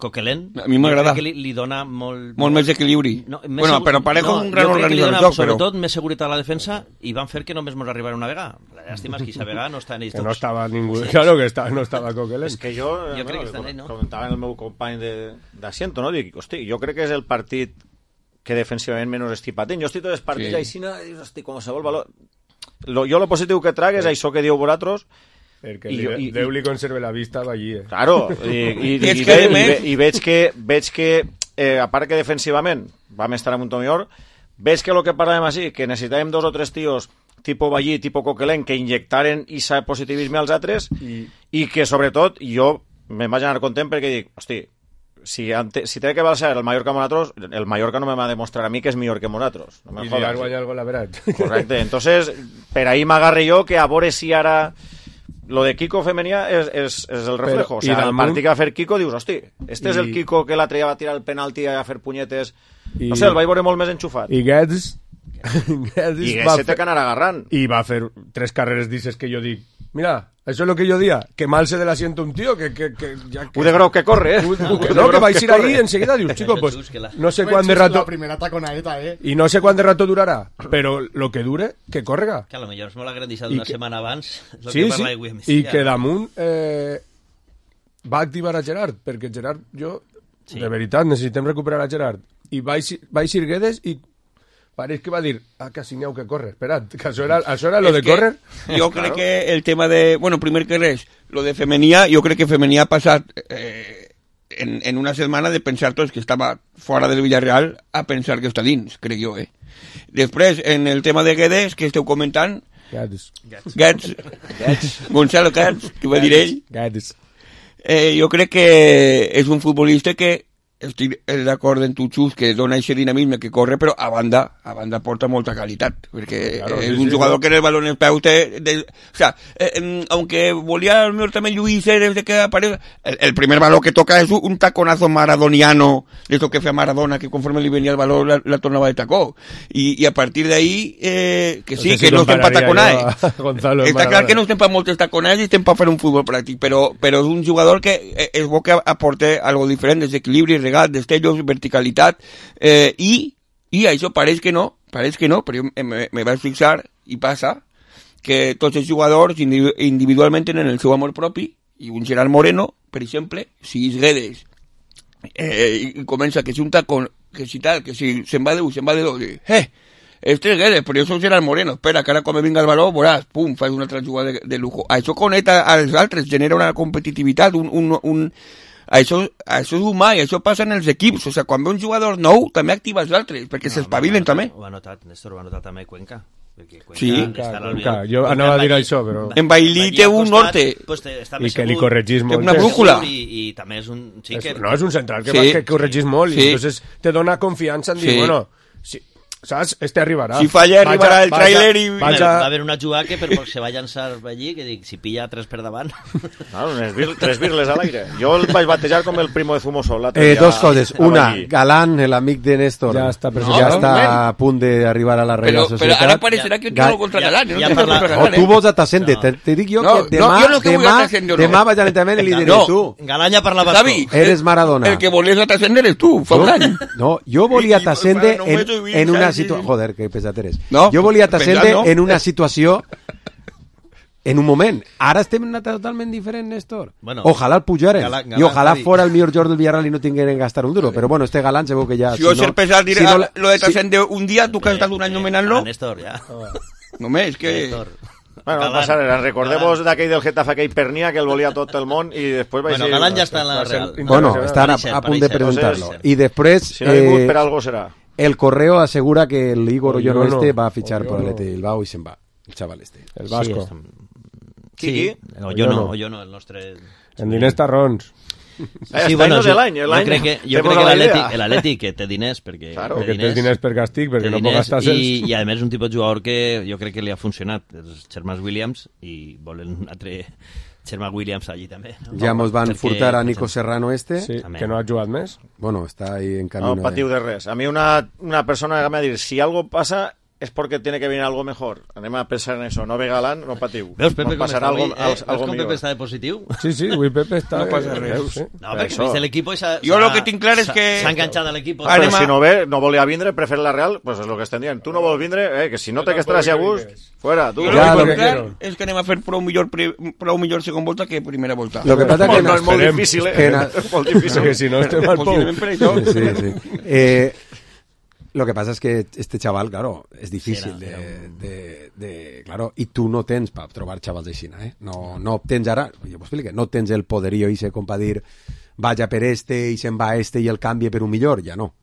Coquelin, a mi m'agrada, que li dona molt més equilibri. Bueno, però Parejo és un gran organitzador del joc, sobretot més seguretat a la defensa, i van fer que només mos arribara una vegada. La llàstima és que aquesta vegada no està en ells tots. Que no estava ningú, claro que no estava Coquelin. És que jo crec que està en ell, no? Comentava el meu company d'Asiento, no? Dic, hosti, jo crec que és el partit que defensivament menys estic patent. Jo estic tots els partits aixina, i dius, hosti, qualsevol valor... Jo lo positiu que trac és això que diu vosaltres. Perquè Déu li conserve la vista allí. Claro, i veig que a part que defensivament vam estar en un to millor, veig que el que parlàvem així, que necessitàvem 2 o 3 tios tipo Ballí, tipo Coquelin, que injectaren aquest positivisme als altres, i que sobretot jo me'n vaig anar content perquè dic, hosti, si té que ser el Mallorca amb nosaltres, el Mallorca no me va demostrar a mi que és millor que nosaltres. No I li ha guanyat el gol a verat. Correcte, entonces per ahí m'agarre jo que a veure si ara lo de Kiko Femenia és el reflejo. O sea, el partit que va fer Kiko dius, hosti, este és el Kiko que l'altre dia va tirar el penalti a fer punyetes, no sé, el vaig veure molt més enxufat. I Guedes se té que anar agarrant. I va fer 3 carreres d'isses que jo dic, mira, això és el que jo dia, que mal se de l'asiento un tío, que de grau que corre, no, que vais ir ahí enseguida, dius, chico, pues, no sé cuán de rato... La primera taconaeta, Y no sé cuán de rato durará, pero lo que dure, que correga. Que a lo millor es molt agrandissat una setmana abans. Sí, i que damunt va activar a Gerard, perquè Gerard, de veritat, necessitem recuperar a Gerard. I va eixir Guedes i pareix que va dir, quasi n'hi ha que córrer, espera't, que això era lo de córrer. Jo crec que el tema de, bueno, primer que res, lo de Femenia, jo crec que Femenia ha passat en una setmana de pensar tots que estava fora del Villarreal a pensar que està dins, crec jo, Després, en el tema de Guedes, que esteu comentant, Guedes, Gonzalo Guedes, que va dir ell, jo crec que és un futbolista que estic d'acord amb tu, Xus, que dona aquest dinamisme que corre, però a banda porta molta qualitat, perquè és un jugador que en el balón en els peus o sea, aunque volía al mejor también Luis desde que aparece, el primer balón que toca es un taconazo maradoniano, de esto que fue a Maradona, que conforme le venía el balón la tornaba de tacó, y a partir de ahí que sí, que no estem pa taconar, està clar que no estem pa moltes taconades i estem pa fer un futbol pràctic, però és un jugador que és bo que aporte algo diferent, desequilibri, destellos, verticalitat, i això pareix que no, però jo me vaig fixar i passa que tots els jugadors individualment tenen el seu amor propi, i un Gerard Moreno, per exemple, si és Guedes i comença que si un tacón, que si tal, que si se'n va de un, se'n va de dos, este és Guedes, però jo soc Gerard Moreno, espera, que ara quan me vinga el baló, veuràs, pum, fas una altra jugada de lujo. Això connecta als altres, genera una competitivitat, això és humà i això passa en els equips, o sigui, quan ve un jugador nou també activa els altres, perquè s'espavilen també. Ho ha notat, Néstor, ho ha notat també Cuenca. Sí, jo anava a dir això, però... En Bailí té un norte. I que li corregís molt. Té una brújula. I també és un... No, és un central que corregís molt i entonces te dona confiança en dir, bueno, saps? Arribarà. Si falla, arribarà el tràiler i... Va haver una jugada que per poc se va llançar allí, que dic, si pilla 3 per davant... Claro, 3 birles al aire. Jo el vaig batejar com el primo de Zumosol. Dos coses. Una, Galán, el amic de Néstor, ja està a punt d'arribar a la Real Societat. Però ara parecerà que no contra Galán. Tu vols a Tassende. Te dic jo que demà vaig a l'entrenament i li diré tu. Galán ja parlava bascó. Eres Maradona. El que volies a Tassende eres tu, fa un any. No, jo volia Tassende en una situació... Joder, que pesat eres. Jo volia Tassende en una situació... En un moment. Ara estem en una totalment diferent, Néstor. Bueno, ojalà el pujaren. I ojalà fora el millor jugador del Villarreal i no tingueren que gastar un duro. Però bueno, este Galán se veu que ja... Si jo ser pesat diré lo de Tassende un dia, tu que has estat un any nomenant-lo... Néstor, ja. Només, que... Bueno, no passa res. Recordemos d'aquell del Getafe, aquell Pernia, que el volia tot el món i després... Bueno, Galán ja està en la Real. Bueno, estan a punt de presentar-lo. I després... Si no ha vingut, per algo serà. El Correo asegura que el Igor Oyono va a fichar por el Athletic Bilbao y se'n va. El chaval este. El vasco. Sí, Oyono, el nostre... En diners tarrons. Sí, bueno, jo crec que l'Atlètic que té diners perquè... Claro, que té diners per càstig, perquè no pot gastar-se'ls. I a més és un tipus de jugador que jo crec que li ha funcionat. És Sherman Williams i volen un altre Sherman Williams allí també. Ja mos van furtar a Nico Serrano Sí, que no ha jugat més. Bueno, està ahí en camino. No patiu de res. A mi una persona que m'ha dit, si algo pasa... es porque tiene que venir algo mejor. Anem a pensar en eso. No ve Galán, no patiu. Veus, Pepe, com passarà algo com millor. Pepe està de positiu? Sí, avui Pepe està... No passa res. No, perquè vist l'equip... Jo lo que tinc clar és que... S'ha enganxat a l'equip. Però si no ve, no volia vindre, prefer la Real, pues és lo que estem dient. Tu no vols vindre, que si no té que estar a gust, fuera. Tu. Jo lo que clar és que anem a fer prou millor segon volta que primera volta. Lo que passa que no és molt difícil, molt difícil. Que si no estem al pou. Sí. Lo que pasa es que este chaval, claro, es difícil claro, y tú no tens para trobar chavals així, no tens ara, jo vos explico, no tens el poderío ese com pa dir vaya per este i se'n va este i el canvie per un millor, ja no.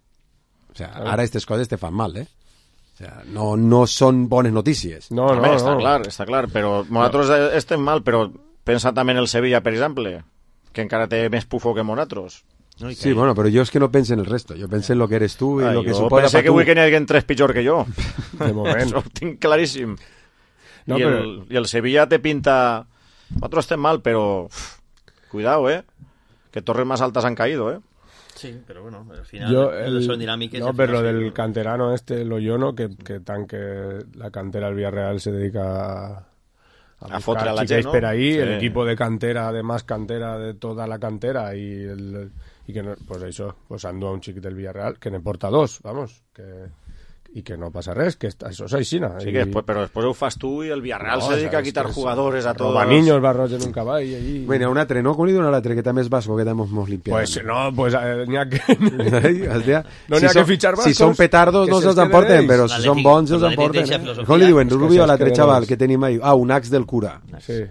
O sea, ara aquestes coses te fan mal, O sea, no són bones notícies. No. Està clar, però nosaltres estem mal, però pensa també en el Sevilla, per exemple, que encara té més pufo que nosaltres. No, sí, bueno, pero yo es que no pensé en el resto. Yo pensé en lo que eres tú y lo que suposa pensé que avui que n'hi hagi 3 pitjor que jo. De moment. Això ho tinc claríssim. No, I el Sevilla te pinta... Nosaltres estem mal, però... Cuidado, que torres más altas han caído, Sí, pero bueno, al final son dinámicas. No, pero lo del canterano el Oyono, que tanque la cantera del Villarreal se dedica a fotre a la gent, ¿no? Per ahí, sí. El equipo de cantera, además cantera de toda la cantera y que no, pues això, pues andu a un xic del Villarreal que ne porta 2, vamos, i que no passa res, que això és aixina. Sí, però després ho fas tu i el Villarreal se dedica a quitar jugadores a todos. Roba niños, va Roger en un cavall allí. Bueno, un altre, no? Com li diuen a l'altre, que també és basco, que també mos limpiat. Pues no, pues n'hi ha que... no n'hi ha que fitxar bascos. Si són petardos no se'ls emporten, però si són bons se'ls emporten. Com li diuen? Rubio a l'altre xaval que tenim ahí. Un ax del cura. Sí.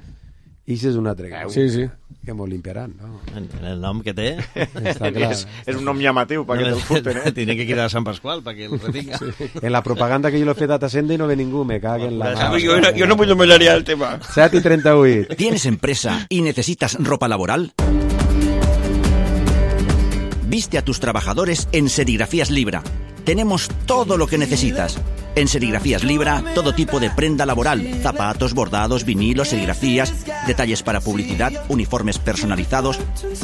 I si és un altre. Sí. Que mos limpiaran, no? El nom que té... Està clar. És un nom llamatiu perquè te'l futen, Tiene que quitar a Sant Pasqual perquè el retinga. En la propaganda que jo l'he fet a Tassende no ve ningú, me cague en la... Yo no puedo mejorar el tema. 7:38. ¿Tienes empresa y necesitas ropa laboral? Viste a tus trabajadores en Serigrafías Libra. Tenemos todo lo que necesitas. En Serigrafías Libra, todo tipo de prenda laboral, zapatos, bordados, vinilos, serigrafías, detalles para publicidad, uniformes personalizados.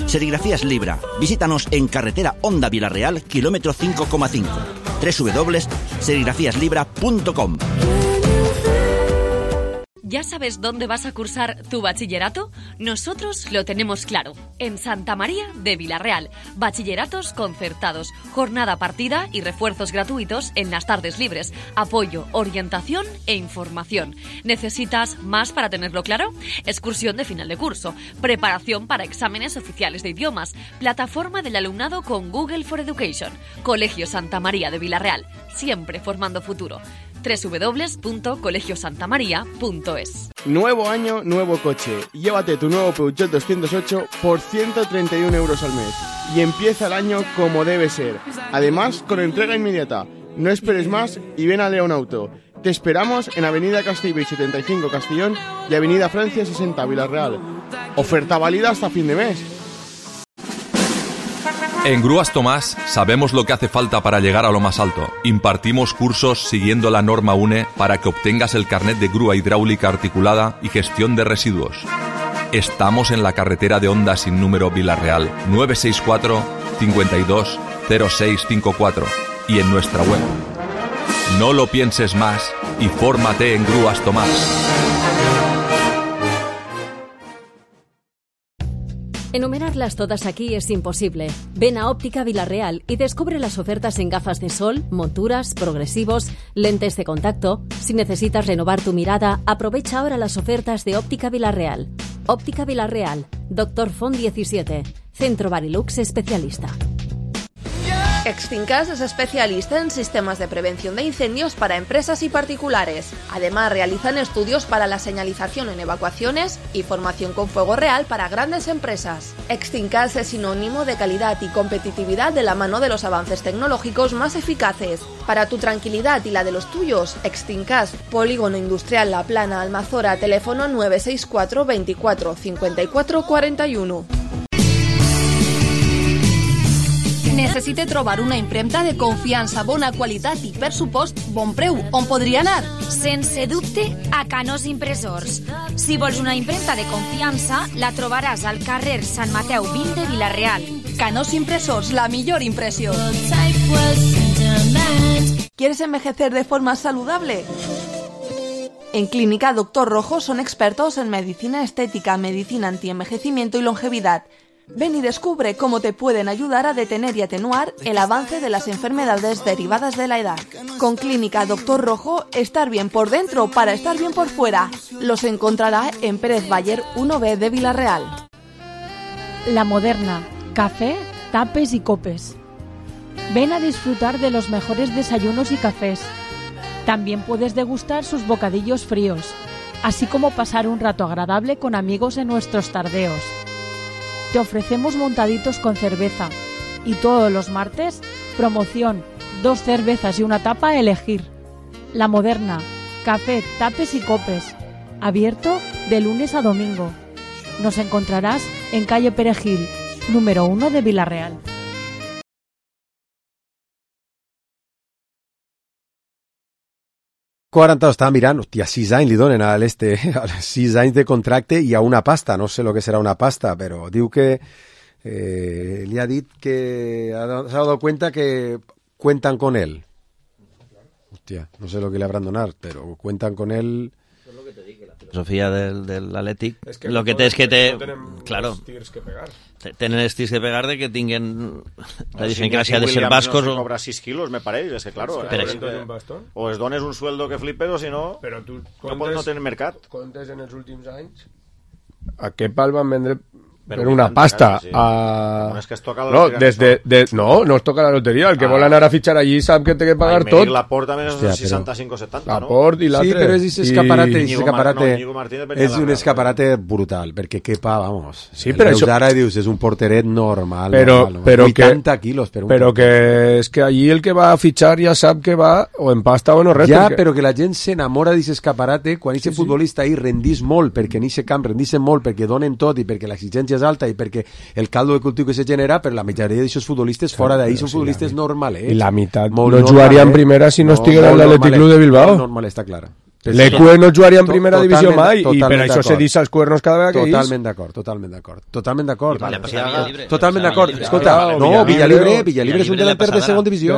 Serigrafías Libra. Visítanos en carretera Honda Villarreal, kilómetro 5,5. www.serigrafíaslibra.com. ¿Ya sabes dónde vas a cursar tu bachillerato? Nosotros lo tenemos claro. En Santa María de Villarreal. Bachilleratos concertados, jornada partida y refuerzos gratuitos en las tardes libres. Apoyo, orientación e información. ¿Necesitas más para tenerlo claro? Excursión de final de curso, preparación para exámenes oficiales de idiomas, plataforma del alumnado con Google for Education. Colegio Santa María de Villarreal. Siempre formando futuro. www.colegiosantamaria.es. Nuevo año, nuevo coche. Llévate tu nuevo Peugeot 208 por 131 euros al mes. Y empieza el año como debe ser. Además, con entrega inmediata. No esperes más y ven a León Auto. Te esperamos en Avenida Castellbell 75 Castellón y Avenida Francia 60 Villarreal. Oferta válida hasta fin de mes. En Grúas Tomás sabemos lo que hace falta para llegar a lo más alto. Impartimos cursos siguiendo la norma UNE para que obtengas el carnet de grúa hidráulica articulada y gestión de residuos. Estamos en la carretera de Honda sin número Vila-real, 964 52 0654 y en nuestra web. No lo pienses más y fórmate en Grúas Tomás. Enumerarlas todas aquí es imposible. Ven a Óptica Vila-real y descubre las ofertas en gafas de sol, monturas, progresivos, lentes de contacto. Si necesitas renovar tu mirada, aprovecha ahora las ofertas de Óptica Vila-real. Óptica Vila-real, Dr. Font 17, Centro Barilux especialista. Extincas es especialista en sistemas de prevención de incendios para empresas y particulares. Además, realizan estudios para la señalización en evacuaciones y formación con fuego real para grandes empresas. Extincas es sinónimo de calidad y competitividad de la mano de los avances tecnológicos más eficaces. Para tu tranquilidad y la de los tuyos, Extincas, Polígono Industrial La Plana, Almazora, teléfono 964 24 54 41. Necessite trobar una impremta de confiança, bona qualitat i, per supost, bon preu. On podria anar? Sense dubte, a Canós Impressors. Si vols una impremta de confiança, la trobaràs al carrer Sant Mateu 20 de Vila-real. Canós Impressors, la millor impressió. ¿Quieres envejecer de forma saludable? En Clínica Dr. Rojo son expertos en medicina estética, medicina antienvejecimiento y longevidad. Ven y descubre cómo te pueden ayudar a detener y atenuar el avance de las enfermedades derivadas de la edad. Con Clínica Dr. Rojo, estar bien por dentro para estar bien por fuera. Los encontrará en Pérez Bayer 1B de Vila-real. La Moderna, café, tapes y copes. Ven a disfrutar de los mejores desayunos y cafés. También puedes degustar sus bocadillos fríos, así como pasar un rato agradable con amigos en nuestros tardeos. Te ofrecemos montaditos con cerveza y todos los martes, promoción, 2 cervezas y una tapa a elegir. La Moderna, café, tapes y copes, abierto de lunes a domingo. Nos encontrarás en calle Perejil, número 1 de Vila-real. 40 estava mirant, hòstia, 6 anys li donen a l'Este, 6 anys de contracte i a una pasta, no sé lo que serà una pasta, però diu que li ha dit que s'ha dado cuenta que cuentan con él. Hòstia, no sé lo que le habrán donat, però cuentan con él. Es lo que te digo, la filosofía del Athletic, es que lo que té és que té, no claro, tirs que pegar. Tenen els tirs que pegar de que tinguen la diferència de ser bascos no cobra 6 quilos, me pareix, és que claro, o es dones un sueldo que flipes o si no, no tenen mercat. Comptes en els últims anys a què pal van vendre per una pasta sí. No és que es toca la loteria, no es toca la loteria, el que vol anar a fitxar allí sap que té que pagar tot. La Porta més 65 o 70, la Port i l'altre. Sí, però és escaparate, és un escaparate brutal, perquè Kepa, vamos, sí, però això ara dius, és un porteret normal, però 80 quilos per un però que és que allí el que va a fitxar ja sap que va o en pasta o no res. Ja, però que la gent s'enamora d'aquest escaparate quan aquest futbolista ahí rendís molt, perquè en aquest camp rendís molt, perquè donen tot i perquè l'exigència és alta i perquè el caldo de cultiu que se genera, però la majoria d'aquests futbolistes fora d'ahí són futbolistes normals. I la meitat no jugaria en primera si no estiguera en l'Atlètic Club de Bilbao. Normal, està clara. L'ECUE no jugaria en primera divisió mai i per això se deixa els cuernos cada vegada que Totalment d'acord. Totalment d'acord. Escolta, no, Villalibre és un delanter de segona divisió.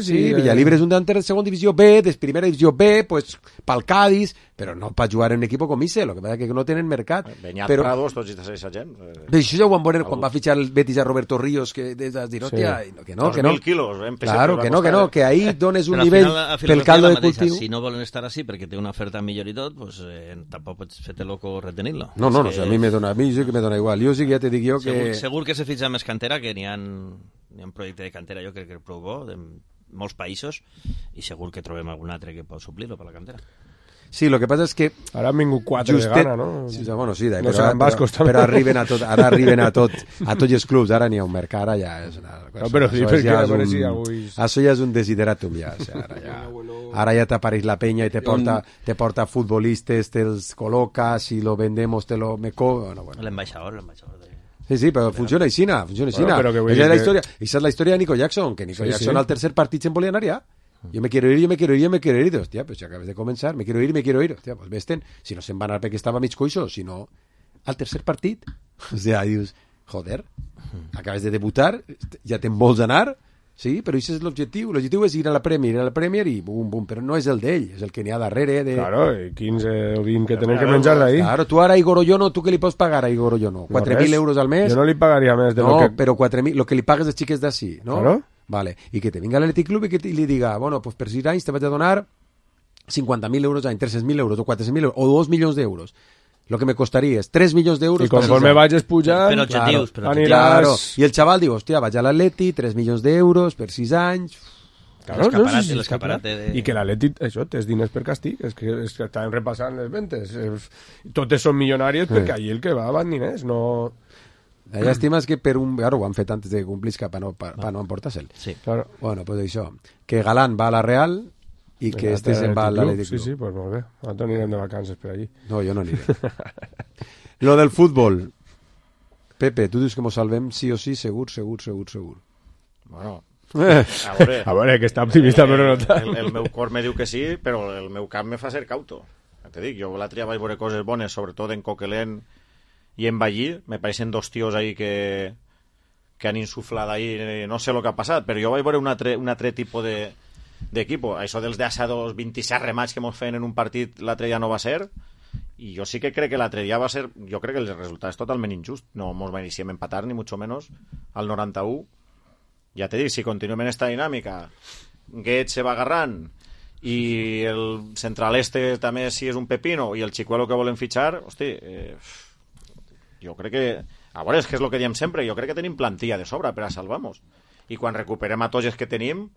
Sí, Villalibre és un delanter de segona divisió B, de primera divisió B, pues pel Cádiz, però no per jugar en un equip com ese, lo que passa que no tenen mercat. Beñat Prados, tots aquesta gent. Això ja ho van veure quan va fitxar el Betis a Roberto Ríos, que des de dir, hòstia, que no. 2.000 quilos. Claro, que ahí dones un nivell pel caldo de cultiu. Si no volen estar així perquè té una oferta millor i tot, pues tampoc pots fer-te loco retenir-lo. No, a mi sí que me dona igual. Jo sí que ja te dic jo que... Segur que se fitxa més cantera, que n'hi ha un projecte de cantera, jo crec que prou bo, de molts països, i segur que trobem algun altre que pot suplir-lo per la cantera. Sí, lo que passa és que... Ara han vingut 4 de gana, no? Sí, bueno, sí, però arriben a tot, ara arriben a tots els clubs, ara n'hi ha un mercat, ara ja és una cosa... No, però sí, perquè això ja és un desideratum, ja. Ara ja t'apareix la penya i te porta futbolistes, te'ls col·loca, si lo vendemos te lo meco... L'ambaixador Sí, però funciona aixina. Esa és la història de Nico Jackson, que Nico Jackson al tercer partit se'n volia anar ja. Yo me quiero ir. Hostia, pues ya acabes de comenzar. Me quiero ir. Hostia, pues vesten. Si no se'n va anar perquè estava mig coixo, si no, al tercer partit. O sea, dius, joder, acabes de debutar, ja te'n vols anar. Sí, però això és l'objectiu. L'objectiu és ir a la Premier i bum, bum. Però no és el d'ell, és el que n'hi ha darrere. Claro, 15 o 20 que tenen que menjar d'ahí. Claro, tu ara a Igor Oyono, tu què li pots pagar a Igor Oyono? 4.000 euros al mes? Jo no li pagaria més de lo que... No, però 4.000, lo que li pagues als xiques d'ací, no? Claro. Vale, i que te vinga l'Atlètic Club i que li diga, bueno, pues per 6 anys te vaig a donar 50.000 euros any, 300.000 euros o 400.000 euros o 2 milions d'euros. Lo que me costaria és 3 milions d'euros. I conforme vagis pujant, per objectius, aniràs... Claro. I el xaval diu, hòstia, vaig a l'Atleti, 3 milions d'euros per 6 anys... Claro, l'escaparate de... I que l'Atleti, això, tens diners per càstig, és que estan repassant les ventes. Totes són milionàries perquè allí el que va van diners, no... La llàstima és que per un... Claro, ho han fet antes de que complisca per no emportar-se'l. Sí. Claro. Bueno, pues això. Que Galán va a la Real i que este se'n va a l'Atlètic Club. Sí, pues molt bé. Nosaltres anirem de vacances per allí. No, jo no aniré. Lo del futbol. Pepe, tu dius que mos salvem sí o sí, segur. Bueno... A veure, que està optimista però no tant. El meu cor me diu que sí, però el meu cap me fa ser cauto. Te dic, jo l'altre dia vaig veure coses bones, sobretot en Coquelin i en Ballí. Me pareixen dos tios ahí que han insuflat ahí, no sé el que ha passat, però jo vaig veure un altre tipus d'equipo. Això dels d'assados 27 remats que mos feien en un partit l'altre dia no va ser, i jo sí que crec que l'altre dia va ser, jo crec que el resultat és totalment injust. No mos mereixíem empatar, ni mucho menos, al 91. Ja te dic, si continuem en esta dinàmica, Guedes se va agarrant i el central també si és un pepino i el Chicuelo que volen fitxar, hosti, jo crec que... A veure, és que és el que diem sempre, jo crec que tenim plantilla de sobra per a salvar-nos. I quan recuperem a tots els que tenim,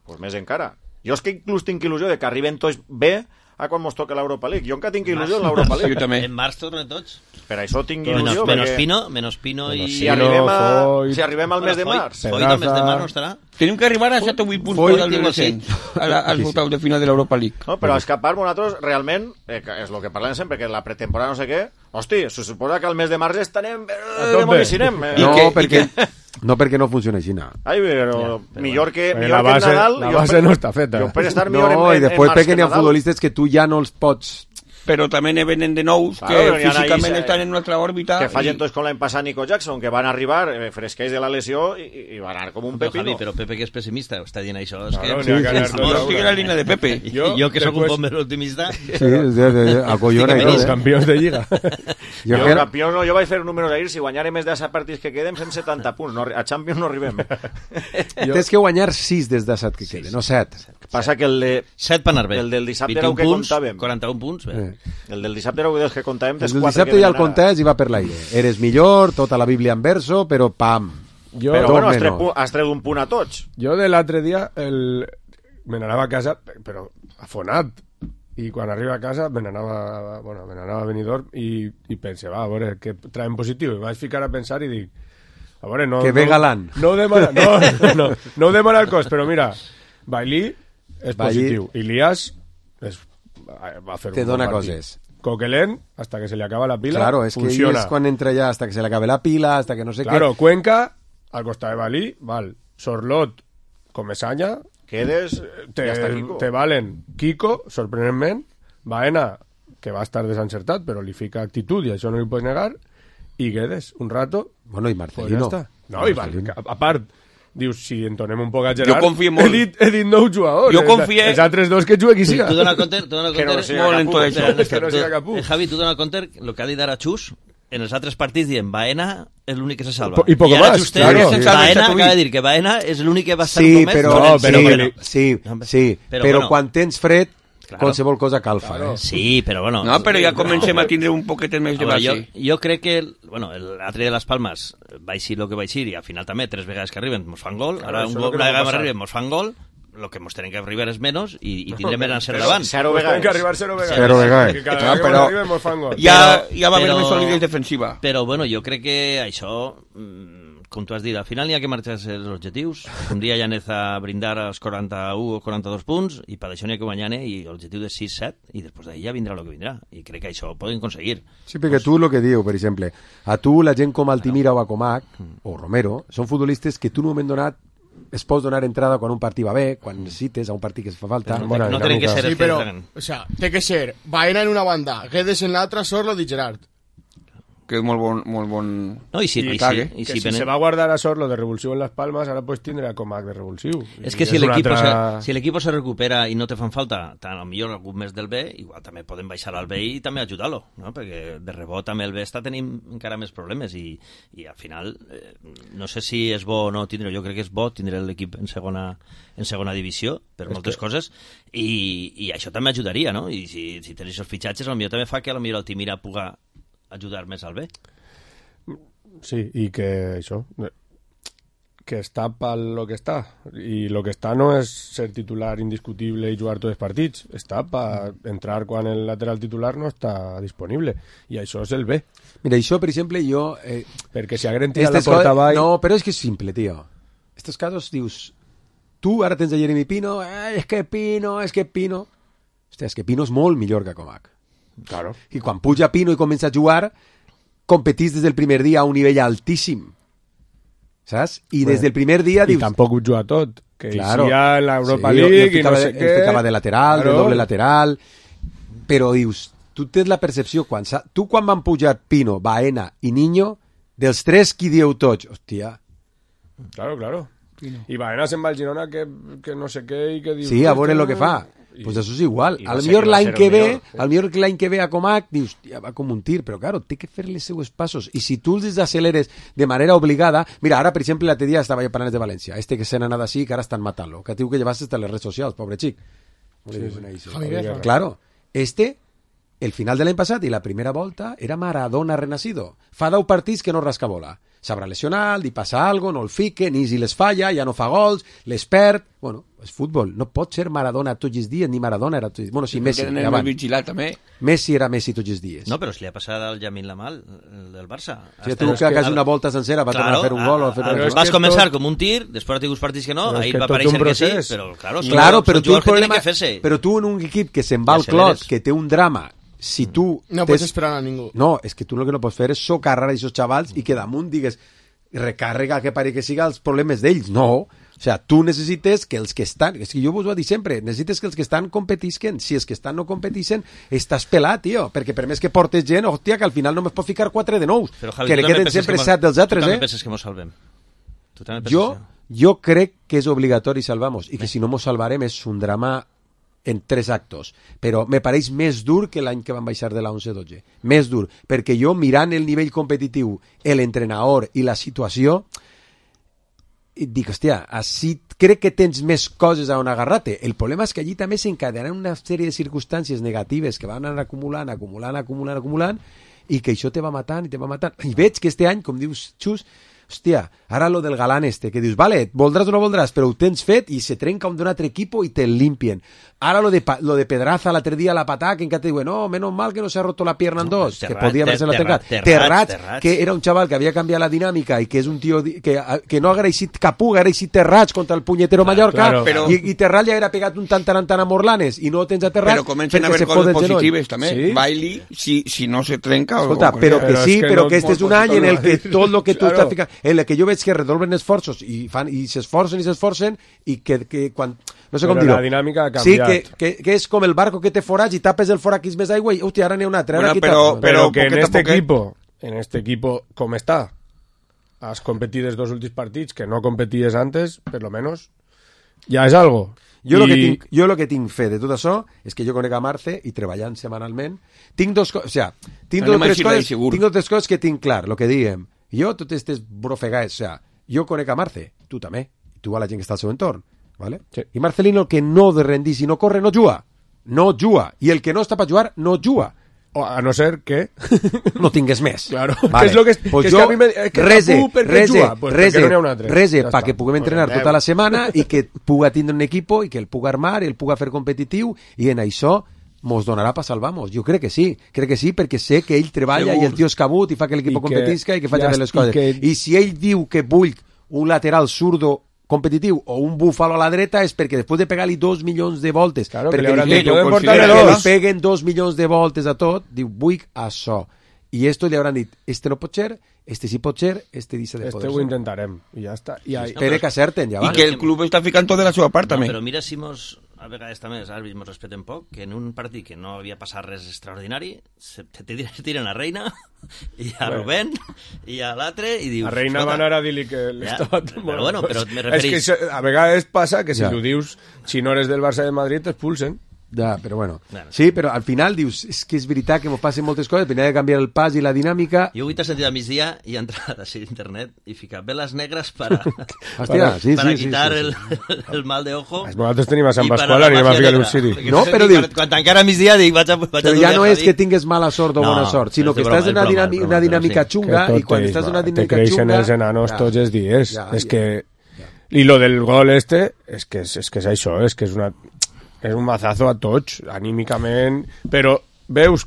pues més encara. Jo és que inclús tinc il·lusió de que arriben tots bé a quan mos toca l'Europa League. Jo encara tinc il·lusió en l'Europa League. Jo també. En març tornen tots. Per això tinc il·lusió. Menos Pino i... Si arribem al mes de març. Foyt al mes de març no estarà. Tenim que arribar a 7 o 8 punts per al descens, als voltaus de final de l'Europa League. No, però escapar-nos nosaltres, realment, és el que parlem sempre, que la pretemporada no sé què, hosti, se suposa que al mes de març estarem demolicinem. No, perquè no funciona així. Ai, però millor que Nadal... La base no està feta. Jo per estar millor en març que Nadal. No, i després perquè n'hi ha futbolistes que tu ja no els pots... Però també ne venen de nous que físicament estan en una altra òrbita. Que fallen tots com l'any passat Nico Jackson, que van arribar fresquells de la lesió i van anar com un pepino. Però Pepe, que és pessimista, està dient això. No estic en la línia de Pepe. Jo que sóc un poc més optimista... Sí, acollona i tot. Campions de Lliga. Campions no, jo vaig fer números ahir, si guanyarem més de 7 partits que queden, fem 70 punts. A Champions no arribem. Tens que guanyar 6 des de 7 que queden, no 7. Passa que el de... 7 per anar bé. El del dissabte era el que comptàvem. 41 punts, bé. El del dissabte era el que comptàvem. El del dissabte ja el comptàs i va per l'aire. Eres millor, tota la Bíblia en verso, però pam. Però bueno, has tret un punt a tots. Jo de l'altre dia me n'anava a casa, però afonat. I quan arriba a casa me n'anava a Benidorm i pense, va, a veure, que traiem positiu. I vaig ficar a pensar i dic, a veure, no... Que ve Galán. No ho demana el cos, però mira, Bailí és positiu. Ilias va fer te un dona partit. coses. Coquelin, hasta que se le acaba la pila, claro, es funciona. Que es cuando entra ya hasta que se le acabe la pila, hasta que no sé claro, Cuenca, al costat de Balí, val. Sorlot, Comesaña, Quedes, te valen Kiko, sorprenentment, Baena, que va estar desencertat, però li fica actitud i això no li pots negar, i Guedes, un rato... Bueno, i Marcelino. Pues no, i Marcelino. A part... Dius, si entonem un poc a Gerard... Jo confio molt. He dit nou jugadors. Jo confio... Els altres dos que juga qui siga. Tu dona compte... Que no siga Capú. Javi, tu dona compte el que ha dit ara Xus, en els altres partits dient Baena és l'únic que se salva. I poco más. Claro. Baena acaba de dir que Baena és l'únic que va estar només... Sí, però quan tens fred, qualsevol cosa calfa. Sí, però bueno... No, però ja comencem a tindre un poquet més de base. Jo crec que, l'altre de les Palmes va eixir el que va eixir i al final també 3 vegades que arriben mos fan gol, ara una vegada que arriben mos fan gol, el que mos tenen que arribar és menys i tindrem més encert davant. 0 vegades. Tenen que arribar 0 vegades. Però ja va haver més solidesa defensiva. Però bueno, jo crec que això com tu has dit, al final n'hi ha que marxar-se els objectius. Un dia ja anés a brindar als 41 o 42 punts, i per això n'hi ha que guanyar, i l'objectiu de 6-7, i després d'ahir ja vindrà el que vindrà. I crec que això ho poden aconseguir. Sí, perquè tu el que diu, per exemple, a tu la gent com Altimira o Acomac, o Romero, són futbolistes que tu en un moment donat es pots donar entrada quan un partit va bé, quan necessites a un partit que es fa falta. No tenen que ser... Sí, però, o sea, té que ser Baena en una banda, Guedes en l'altra, Sorlo i Gerard. Que és molt bon... No, i si se va a guardar a Sorlo de revulsivo en Las Palmas, ara pues tindrà a Comac de revulsiu. És que si l'equip se recupera i no te fan falta, tant o millor algun més del B, igual també poden baixar al B i també ajudar-lo, no? Perquè de rebot també el B està tenint encara més problemes i al final no sé si és bo o no tindre, jo crec que és bo tindre l'equip en segona divisió per moltes coses i això també ajudaria, no? I si tens aquests fitxatges, potser també fa que potser Altimira puga ajudar més al bé. Sí, i que això, que està pel lo que està, i lo que està no és ser titular indiscutible i jugar tots els partits, està per entrar quan el lateral titular no està disponible, i això és el bé. Mira, això, per exemple, jo... perquè si agren tira la porta avall... No, però és que és simple, tio. Estos casos dius, tu ara tens a Jeremy Pino, és que Pino... Hòstia, és que Pino és molt millor que Comac. Claro. I quan puja Pino i comença a jugar, competís des del primer dia a un nivell altíssim, saps? I des del primer dia dius... I tampoc ho juga tot, que claro, hi ha l'Europa League i no sé què... El ficava de lateral, de doble lateral, però dius, tu tens la percepció, tu quan van pujar Pino, Baena i Niño, dels tres qui dieu tots, hòstia... Claro. I Baena se'n va al Girona que no sé què i que dius... Sí, a veure el que fa. Pues això és igual. A lo millor l'any que ve a Comac dius, ja va com un tir, però claro, té que fer les seues passos. I si tu els desaceleres de manera obligada... Mira, ara, per exemple, l'altre dia estava jo parlant de València. Que se n'ha anat així, que ara estan matant-lo. Que diu que llevaste hasta les redes socials, pobre xic. Claro, el final de l'any passat i la primera volta era Maradona renacido. Fa 10 partits que no rasca bola. S'haurà lesionat, li passa algo, no el fique, ni si les falla, ja no fa gols, les perd... Bueno, és futbol. No pot ser Maradona tots els dies, ni Maradona era tots els dies. Bueno, si Messi... Vigilat, també. Messi era Messi tots els dies. No, però si li ha passat al Yamin Lamal, del Barça. Si tu que hagas una volta sencera va tornar a fer un gol... Vas començar com un tir, després ha tingut partits que no, ahir va aparèixer que sí, però claro, però tu en un equip que se'n va al clot, que té un drama... Si tu no pots esperar a ningú. No, és que tu el que no pots fer és socarrar a aquests xavals i que damunt digues recàrrega que pare que siga els problemes d'ells. No, o sea, tu necessites que els que estan, és que jo vos ho dic sempre, necessites que els que estan competisquen. Si els que estan no competixen, estàs pelat, tio, perquè per més que portes gent, hòstia, que al final no me'n pot ficar 4 de nous, que li queden sempre 7 dels altres, Tu també penses que mos salvem? Jo crec que és obligatori salvar-nos i que si no mos salvarem és un drama en 3 actos, però me pareix més dur que l'any que van baixar de la 11-12, més dur, perquè jo mirant el nivell competitiu, l'entrenador i la situació, dic, hòstia, així crec que tens més coses a on agarrar-te. El problema és que allí també s'encadenaran una sèrie de circumstàncies negatives que van anar acumulant, i que això te va matant, i veig que este any, com dius Xus, hòstia, ara lo del Galán que dius, vale, voldràs o no voldràs, però ho tens fet i se trenca un d'un altre equipo i te limpien. Ara lo de Pedraza l'altre dia, la patà, que encara te diuen, no, menos mal que no s'ha roto la pierna en dos, que podia haver-se-la trencat. Terrats, que era un xaval que havia canviat la dinàmica i que és un tio que no ha agraït Capú, ha agraït Terrats contra el punyetero Mallorca, i Terrat ja era pegat un tant a Morlanes i no tens a Terrats. Però comencen a haver coses positives també. Bailey, si no se trenca... Escolta, però que sí, però que este és un any en el que tot lo que tu estàs ficant, en el que jo veig que redoblen esforços i s'esforcen i que quan... No sé com dir-ho. La dinàmica ha canviat. Sí, que és com el barco que té forats i tapes el forat que és més aigua i, hòstia, ara n'hi ha un altre. Però que en este equipo, com està, has competit els 2 últims partits que no competies antes, per lo menos, ja és algo. Jo lo que tinc fe de tot això és que jo conec a Marce i treballant setmanalment tinc 2 coses, o sea, tinc 3 coses que tinc clar, lo que diguem. Jo, totes aquestes brofegades, o sea, jo conec a Marce, tu també, tu a la gent que està al seu entorn, ¿vale? Sí. I Marcelino, que no de rendir si no corre, no juga, i el que no està per jugar, no juga. O a no ser que no tingues més. Claro. Vale. Que és lo que, pues que jo, és que rese perquè puguem entrenar tota la setmana i que puga tindre un equip i que el puga armar, el puga fer competitiu i en això mos donarà per salvar-nos. Jo crec que sí, perquè sé que ell treballa i el tio és cabut i fa que l'equip competisca i que faci bé les coses. I si ell diu que vull un lateral zurdo competitiu o un búfalo a la dreta és perquè després de pegar-li 2 milions de voltes, claro, perquè li peguen 2 milions de voltes a tot, diu, vull això. I esto li hauran dit, este no pot ser, este sí pot ser, este dice de poder ser. Este ho intentarem, i ja està. Espera que acerten, ja va. I que el club està ficant tot de la seva part, també. Però mira si a vegades també els àrbits ens respeten poc, que en un partit que no havia passat res extraordinari, te tiren a Reina, i a Rubén, i a l'altre, i dius... A Reina va anar a dir-li que l'estava... Però bueno, però me referís... És que a vegades passa que si ho dius, si no eres del Barça de Madrid, t'expulsen. Ja, però bueno. Sí, però al final dius, és que és veritat que ens passen moltes coses, tenia de canviar el pas i la dinàmica. Jo avui t'he sentit a migdia i he entrat a internet i ficat veles negres para quitar el mal de ojo. Nosaltres tenim a Sant Pasqual, anem a ficar un Siri. No, però dius... Quan encara a migdia dic, vaig a però ja no és que tinguis mala sort o bona sort, sinó que estàs en una dinàmica xunga i quan estàs en una dinàmica xunga... Te creixen els enanos tots els dies. És que... I lo del gol és que és això, és que és un mazazo a tots, anímicament, però veus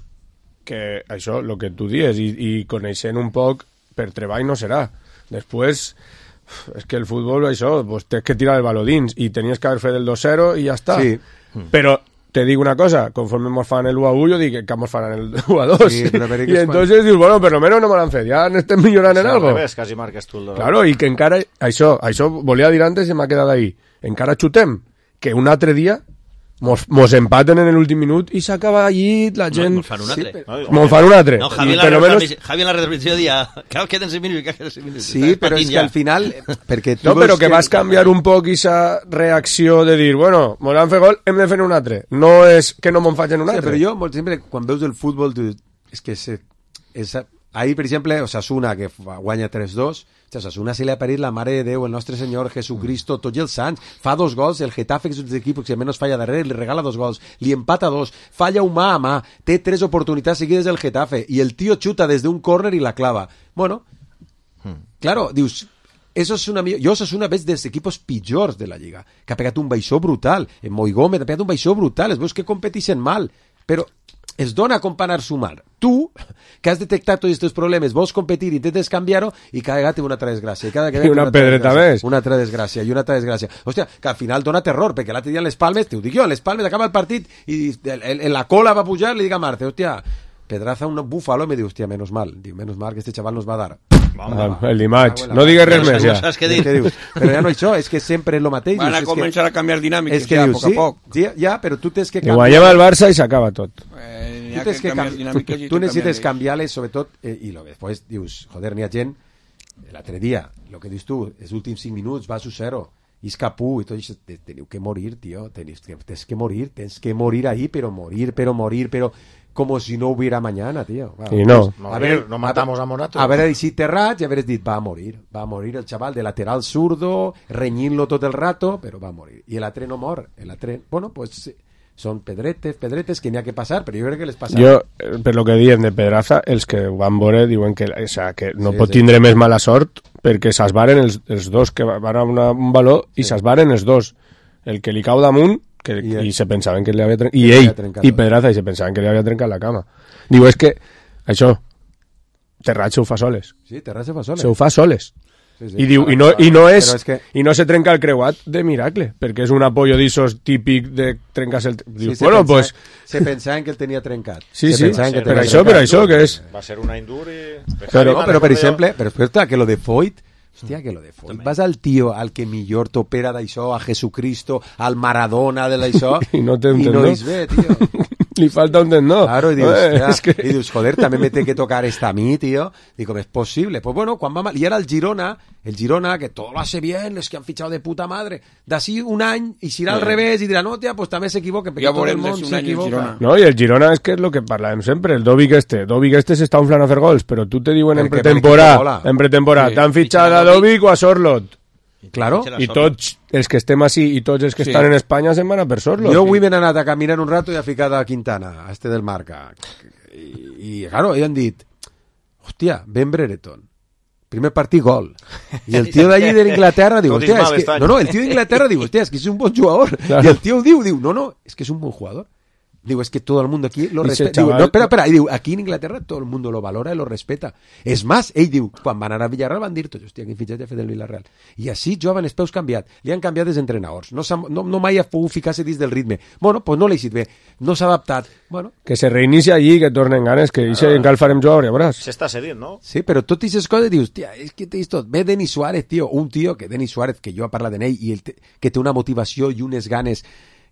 que això, el que tu dius, i coneixent un poc, per treball no serà. Després, és que el futbol, això, pues, tens que tirar el baló dins, i tenies que haver fet el 2-0 i ja està. Sí. Però te dic una cosa, conforme mos fan el 1-1, jo dic que mos faran el 1-2. Sí, i entonces dius, bueno, per lo menos no me l'han fet, ja n'estem millorant en algo. Quasi marques tu el 2. Claro, i que encara, això volia dir antes i m'ha quedat ahí, encara xutem, que un altre dia mos empaten en l'últim minut i s'acaba allí la gent... Mos fan un altre. Mos fan un altre. No, Javi en la retransmissió dia queden 5 minuts. Sí, però és que al final... No, però que vas canviar un poc aquesta reacció de dir, bueno, mos han fet gol, hem de fer un altre. No és que no me'n facin un altre. Però jo, sempre, quan veus el futbol, és que ahir, per exemple, Osasuna, que guanya 3-2, Osasuna se li ha parit la Mare de Déu, el nostre Senyor Jesucristo, tots els sants, fa 2 gols, el Getafe, que és un equip que menys falla darrere, li regala 2 gols, li empata 2, falla un mà a mà, té 3 oportunitats seguides del Getafe, i el tio xuta des d'un córner i la clava. Bueno, claro, dius... Jo Osasuna ves dels equipos pitjors de la Lliga, que ha pegat un baixó brutal, en Moigómez ha pegat un baixó brutal, es veus que competeixen mal, però es dona com per anar-sumar. Tu, que has detectat tots aquests problemes, vols competir i intentes canviar-ho i cada vegada té una altra desgràcia. I una pedreta més. Una altra desgràcia. Hòstia, que al final dona terror, perquè l'altre dia en les Palmes, t'ho dic jo, en les Palmes acaba el partit i en la cola va pujar, li dic a Marte, hòstia, Pedraza un búfalo, me diu, hòstia, menos mal que este chaval nos va a dar. El dimarts, no digues res més ja. Però ja no això, és que sempre és el mateix. Van a començar a canviar dinàmiques ja, a poc a poc. Ja, però tu tens que canviar. Guanyem el Barça i s'acaba tot. Tu necessites canviar-les, sobretot, i després dius, joder, n'hi ha gent, l'altre dia, el que dius tu, els últims 5 minuts, vas 0, i és capú, i tot això, teniu que morir, tio, tens que morir ahí, però como si no hubiera mañana, tío. Wow. Y no. No matamos a Morato. Haver si Terrats i haver dit, va a morir el chaval de lateral zurdo, renyint-lo tot el rato, però va a morir. I l'altre no mor. Bueno, pues són pedretes que n'hi ha que passar, però jo crec que les passarà. Jo, per lo que diuen de Pedraza, els que ho van veure diuen que, que no pot tindre més mala sort perquè s'esbaren els dos, que van a un baló i s'esbaren els dos. El que li cau damunt i se pensaven que li havia trencat, i ell i Pedraza, i se pensaven que li havia trencat la cama. Diu, és que això Terrats se ho fa soles. Sí, Terrats se ho fa soles. Se ho fa soles. Sí. I diu, i no se trenca el creuat de miracle, perquè és un apoyo d'issos típic de trencar-se el... Diu, sí, bueno, pues... Se pensaven que el tenia trencat. Sí, per això que és... Va ser una indur i... Però per exemple, que lo de Foyt, hòstia, que lo de Foyt. Vas al tío al que millor t'opera d'això, a Jesucristo, al Maradona de l'això, i no és bé, tío. Li falta un tendó. Claro, y dius, joder, también me tiene que tocar esta a mí, tío. Digo, ¿es posible? Pues bueno, cuando va mal. Y ahora el Girona, que todo lo hace bien, es que han fichado de puta madre. D'ací un any, i serà al revés, i dirà, no, tia, pues també s'equivoca, perquè tot el món s'equivoca. No, i el Girona és que és el que parlàvem sempre, el Dovic este s'està inflant a fer gols, però tu te diuen en pretemporada, t'han fitxat a Dovic o a Sorlot. Claro. I tots els que estem així i tots els que estan en Espanya se'n van a per Sorlot. Jo avui m'he anat a caminar un rato i a ficar a Quintana, a del Marca. I claro, han dit, hòstia, Ben Brereton. Primer partit, gol. I el tio d'allí d'Inglaterra diu, hòstia, és que... No, el tio d'Inglaterra diu, hòstia, és que és un bon jugador. Claro. I el tio diu, no, és que és un bon jugador. Digo, es que todo el mundo aquí lo Dice, respeta. Digo, chaval... no, espera. Y digo, aquí en Inglaterra todo el mundo lo valora y lo respeta. És más, ell diu, quan van anar a Villarreal van dir tots, hòstia, quin fitxatge ha fet el Villarreal. I així juguen els peus canviat. Li han canviat els entrenadors. No mai ha pogut ficar-se dins del ritme. Bueno, pues no l'ha eixit bé. No s'ha adaptat. Bueno. Que se reinicia allí, que tornen ganes, que dice encara el farem jugar, ja veuràs. S'està cedint, no? Sí, però tot aquestes coses dius, tia, és que tens tot. Ve Denis Suárez, tio, un tio que Denis Suárez, que jo he parlat d'ell, i que té una motivació i unes ganes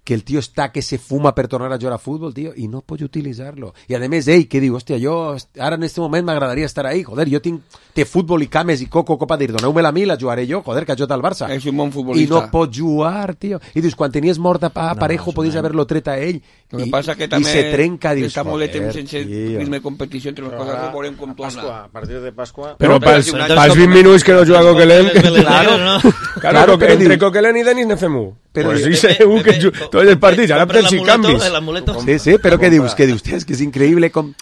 que el tío está que se fuma per tornar a jugar a fútbol, tío, y no puede utilizarlo. Y además, que digo, hostia, yo ahora en este momento me agradaría estar ahí, joder, yo té fútbol y cames y copa dir, doneu-me-la a mi, la jugaré jo, joder, que ha jugat al Barça. És un bon futbolista. I no pot jugar, tío. I dius, quan tenies mort a Parejo, podies haver-lo tret a ell. Lo que passa que també se trenca, dius, està molt de temps sense ritme de competició, entre les coses, veurem com torna. A partir de Pasqua... Però pels 20 minuts que no juga Coquelin... Claro, entre Coquelin i Denis ne fem un. Pues sí, segur que tots els partits, ara per si canvis. Sí, però què dius? És que és increïble com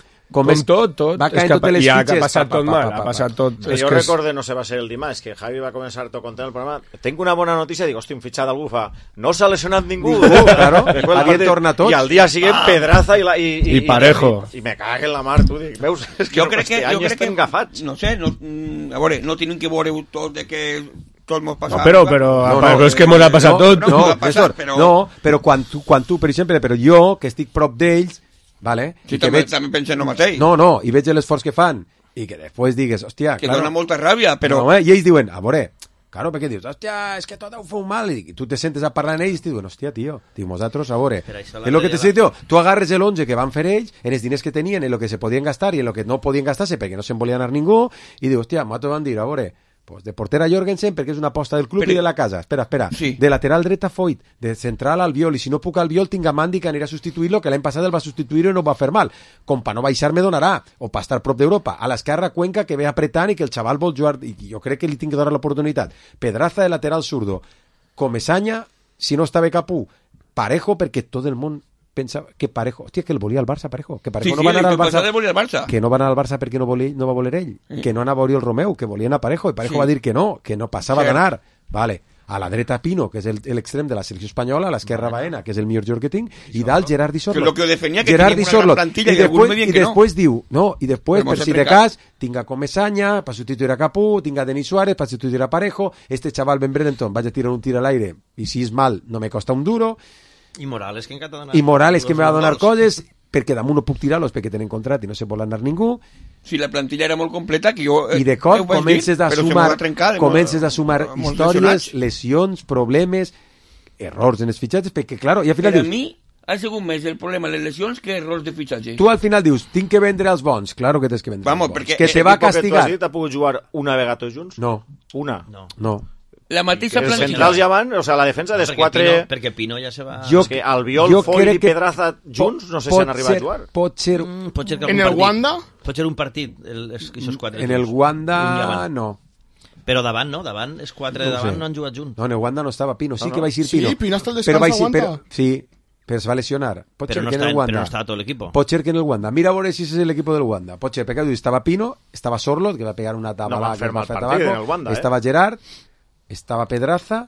tot. Va caient totes les fitxes. Ha passat tot mal, ha passat tot... Jo recorde, no sé, va ser el dimarts, que Javi va començar tot content el programa. Tenc una bona notícia, dic, hòstia, un fitxat d'algú fa. No s'ha lesionat ningú. Claro, havien tornat tots. I al dia siguiente, Pedraza i Parejo. I me cague en la mar, tu dic. Veus, és que jo crec que estem agafats. No sé, a veure, no tenim que veure tot de que... tot m'ho passa. No, però és que m'ho ha passat tot. Però quan tu, per exemple, però jo, que estic prop d'ells, vale? Sí, també penso en el mateix. No, i veig l'esforç que fan, i que després digues, hòstia... Que dona molta ràbia, però... No, i ells diuen, a veure, claro, perquè dius, hòstia, és que tot ho feu mal, i tu te sentes a parlar amb ells i diuen, hòstia, tio, nosaltres, a veure, és el que te sé, tio, tu agarres l'11 que van fer ells, en els diners que tenien, en el que se podien gastar i en el que no podien gastar-se perquè no se'n volia anar ningú, i dius, hòstia, nosaltres van dir, a veure... Pues de portera Jorgensen perquè és una aposta del club i de la casa. Espera. Sí. De lateral dreta Foyt, de central Albiol, i si no puc Albiol tinc a Mandi que anirà a substituir-lo, que l'any passat el va substituir i no va fer mal. Com pa no baixar me donarà, o pa estar prop d'Europa. A l'esquerra Cuenca que ve apretant i que el xaval vol jugar, i jo crec que li tinc que donar l'oportunitat. Pedraza de lateral zurdo. Comesaña, si no està bé Capú. Parejo perquè tot el món pensa que Parejo, hòstia, que el volia al Barça, Parejo, que Parejo no va anar al Barça, que no va anar al Barça perquè no va voler ell, que no anava a el Romeu, que volien a Parejo, i Parejo va dir que no passava d'anar, vale, a la dreta Pino, que és l'extrem de la selecció espanyola, a l'esquerra Baena, que és el millor jugador que tinc, i dalt Gerard Di Sorlot. Que defenia que tenia una gran plantilla i després diu, i després, per si de cas, tinc a Comesaña per substituir a Capú, tinc a Denis Suárez per substituir a Parejo, este chaval Ben Brereton vaig a tirar un tir a l'aire, i si és mal, no me costa un duro. I Morales, que me va a donar coses, perquè damunt no puc tirar-los perquè tenen contrat i no se vol anar ningú. Si la plantilla era molt completa, que jo... I de cop comences a sumar històries, lesions, problemes, errors en els fitxatges, perquè, claro, i al final dius... Per a mi ha sigut més el problema de les lesions que errors de fitxatge. Tu al final dius, tinc que vendre els bons. Claro que tens que vendre els bons. Perquè que te va castigar. Que tu has dit, ha pogut jugar una vegada tots junts? No. Una? No. La mateixa plantilla. Els centrals ja van, o sea, la defensa dels quatre... Perquè Pino ja se va... És que Albiol, Foyt i Pedraza junts no sé si han arribat a jugar. Pot ser... En el Wanda? Pot ser un partit, aquests quatre. En el Wanda, no. Però davant, no? Davant, els quatre de davant no han jugat junts. No, en el Wanda no estava Pino. Sí que va eixir Pino. Sí, Pino hasta el descans a Wanda. Sí, però es va lesionar. Pot ser que en el Wanda. Però no estava tot l'equip. Pot ser que en el Wanda. Mira a veure si és l'equip del Wanda. Pot ser, perquè estava Pino, estava Sorlot, que va pegar una tabla que va fer tabaco, estava Gerard, estava Pedraza,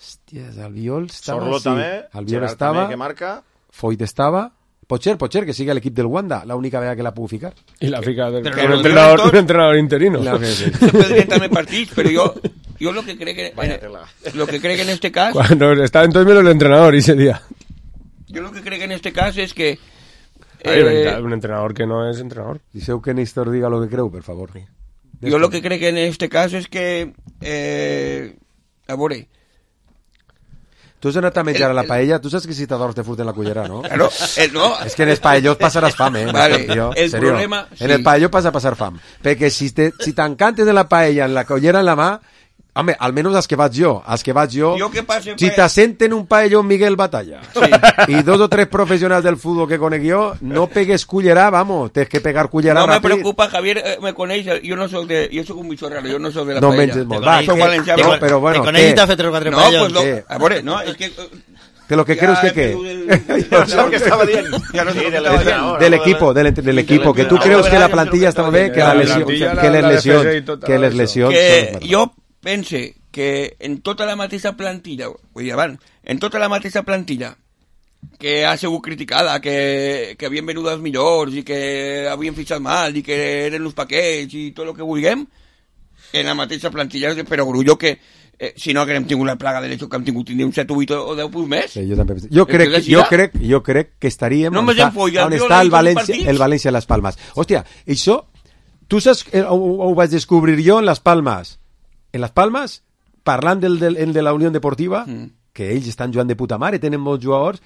hòsties, Albiol estava... Sorlot també, Albiol Gerard estava, també, que marca... Foyt estava... Pot ser que sigui l'equip del Wanda, l'única vegada que la puc ficar. I la fica un entrenador interino. Se podrien també partits, però jo lo que crec que en este cas... Cuando estaba entonces el entrenador ese día. Yo lo que creo que en este caso es que... un entrenador que no es entrenador. Diseu que Néstor diga lo que creu, per favor. Yo lo que creo que en este caso es que... a veure... Tu has anat a menjar a la paella, tu saps que si t'adors te furten la cullera, no? Claro, no. És que en els paellós passaràs fam, Vale, el problema... Sí. En el paelló vas a passar fam. Perquè si t'encantes de la paella en la cullera en la mà, home, almenys els que vaig jo, si t'assenten un paelló Miguel Batalla i 2 o 3 professionals del futbol que conec jo, no pegues cullera, vamos, tens que pegar cullera ràpid. No me preocupa, Javier me coneix, jo soc un bicho raro, jo no soc de la paella. No menges molt, va, però bueno, te coneix i t'ha fet 3 o 4 paellos. Pues a veure, no, és que... De lo que creus que què? Lo que estava dient. Del equipo, que tu creus que la plantilla estava bé, que les lesions... Jo pense que en tota la mateixa plantilla, vull dir, en tota la mateixa plantilla, que ha sigut criticada, que havien venut els millors i que havien fitxat mal i que eren els paquets i tot el que vulguem, en la mateixa plantilla de Perogrullo, que si no haguem tingut la plaga de l'hecho que hem tingut, tindríem 7, 8 o 10 punts més. Sí, jo crec que estaríem on està el València a les Palmes. Hòstia, això, tu saps, ho vaig descobrir jo en les Palmes. En les Palmes, parlant de la Unió Deportiva, que ells estan jugant de puta mare, tenen molts jugadors.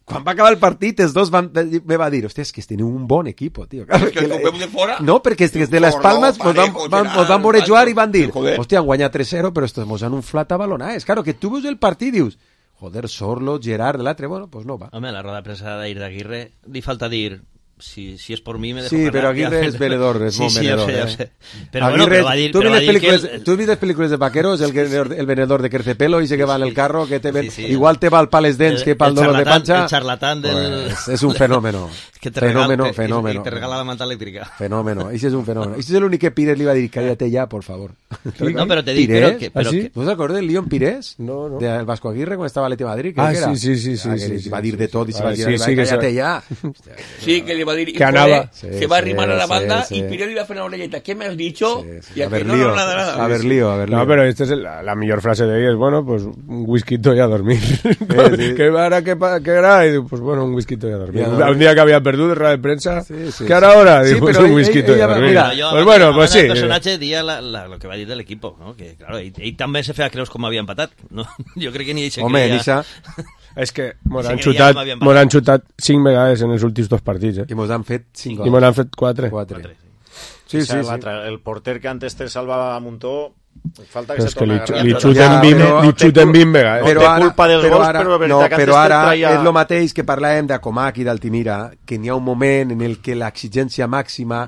Quan va acabar el partit, els dos me va dir, hòstia, és que teniu un bon equip, tio. És que el veus de fora... No, perquè és de les Palmes ens van veure jugar i van dir, hòstia, han guanyat 3-0, però estos mos han inflat a balonades. Claro, que tu veus el partit i dius, joder, Sorlo, Gerard, l'altre, bueno, pues no va. Home, la roda de premsa d'Aguirre li falta dir... Si es por mí me dejo sí, pero Aguirre es venedor, es muy venedor. Sí, pero Aguirre, bueno, pero va a dir, ¿tú viste películas de vaqueros? El venedor de Crecepelo y se que va en el carro, que te ven, igual te va al pales dents que para el dolor de pancha. El charlatán del... Pues es un fenómeno. Que te fenómeno. Y te regala la manta eléctrica. Fenómeno, ese es un fenómeno. Ese es el único que Pires le iba a decir, cállate ya, por favor. No, pero te digo que... ¿Vos acordáis del León Pires? No. Del Vasco Aguirre cuando estaba Leti Madrid. Sí. Va a dir de tot i se va dir, cállate ya. Sí, que le va a decir... Que anava... se va a arrimar a la banda y Pires le iba a hacer una orelleta. ¿Qué me has dicho? Y a ver, lío. A ver, lío. No, pero esta es la mejor frase de ella, es, bueno, pues un whisky y a dormir. ¿Qué hará? Y digo, pues bueno, un whisky y a dormir. Un día que había perdido de rueda de prensa, ¿qué hará ahora? Digo, pues un whisky y a dormir. Pues bueno, pues sí. El personatge dia lo que va dir de l'equipo, ¿no? Que claro, ell també se feia creus com havia empatat, no? Jo crec que ni ell se creia... Home, Nisha... És que mos han xutat 5 vegades en els últims 2 partits, I mos han fet 5 gols. I mos han fet 4. Sí. El porter que antes te salvava a Muntó, falta que però se torna a li xuten 20 vegades. No té culpa dels gols, però veritat que però ara traia... és el mateix que parlàvem d'Acomac i d'Altimira, que n'hi ha un moment en el que l'exigència màxima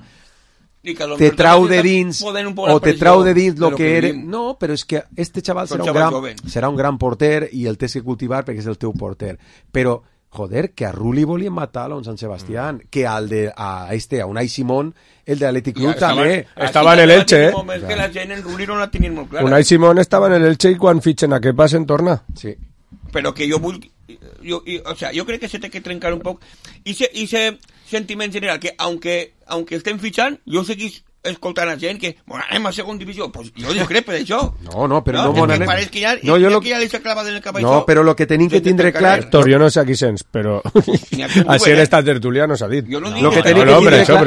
te trau de dins o te trau de dins lo que eres. No, però és que este xaval serà un gran porter i el tens que cultivar perquè és el teu porter. Però, joder, que a Rulli volien matar a un Sant Sebastián, que a Unai Simón, el de Athletic Club també. Estava en el Elche, que la gent en Rulli no la tenien molt clara. Unai Simón estava en el Elche i quan fitxen a què passen torna. Sí. Però que jo vull... o sea, yo creo que se té que trencar un poc i ese sentiment general que aunque estem fitxant, jo seguís escoltant a gent que, bueno, anem a segona divisió, pues jo discrepo d'això. No, però no és que pareix que ja li s'ha clavat en el cap això. No, però lo que tenim que tindre clar... Héctor, jo no sé a qui sents, però així en esta tertulia no s'ha dit. Jo no dic... Lo que tenim que tindre clar...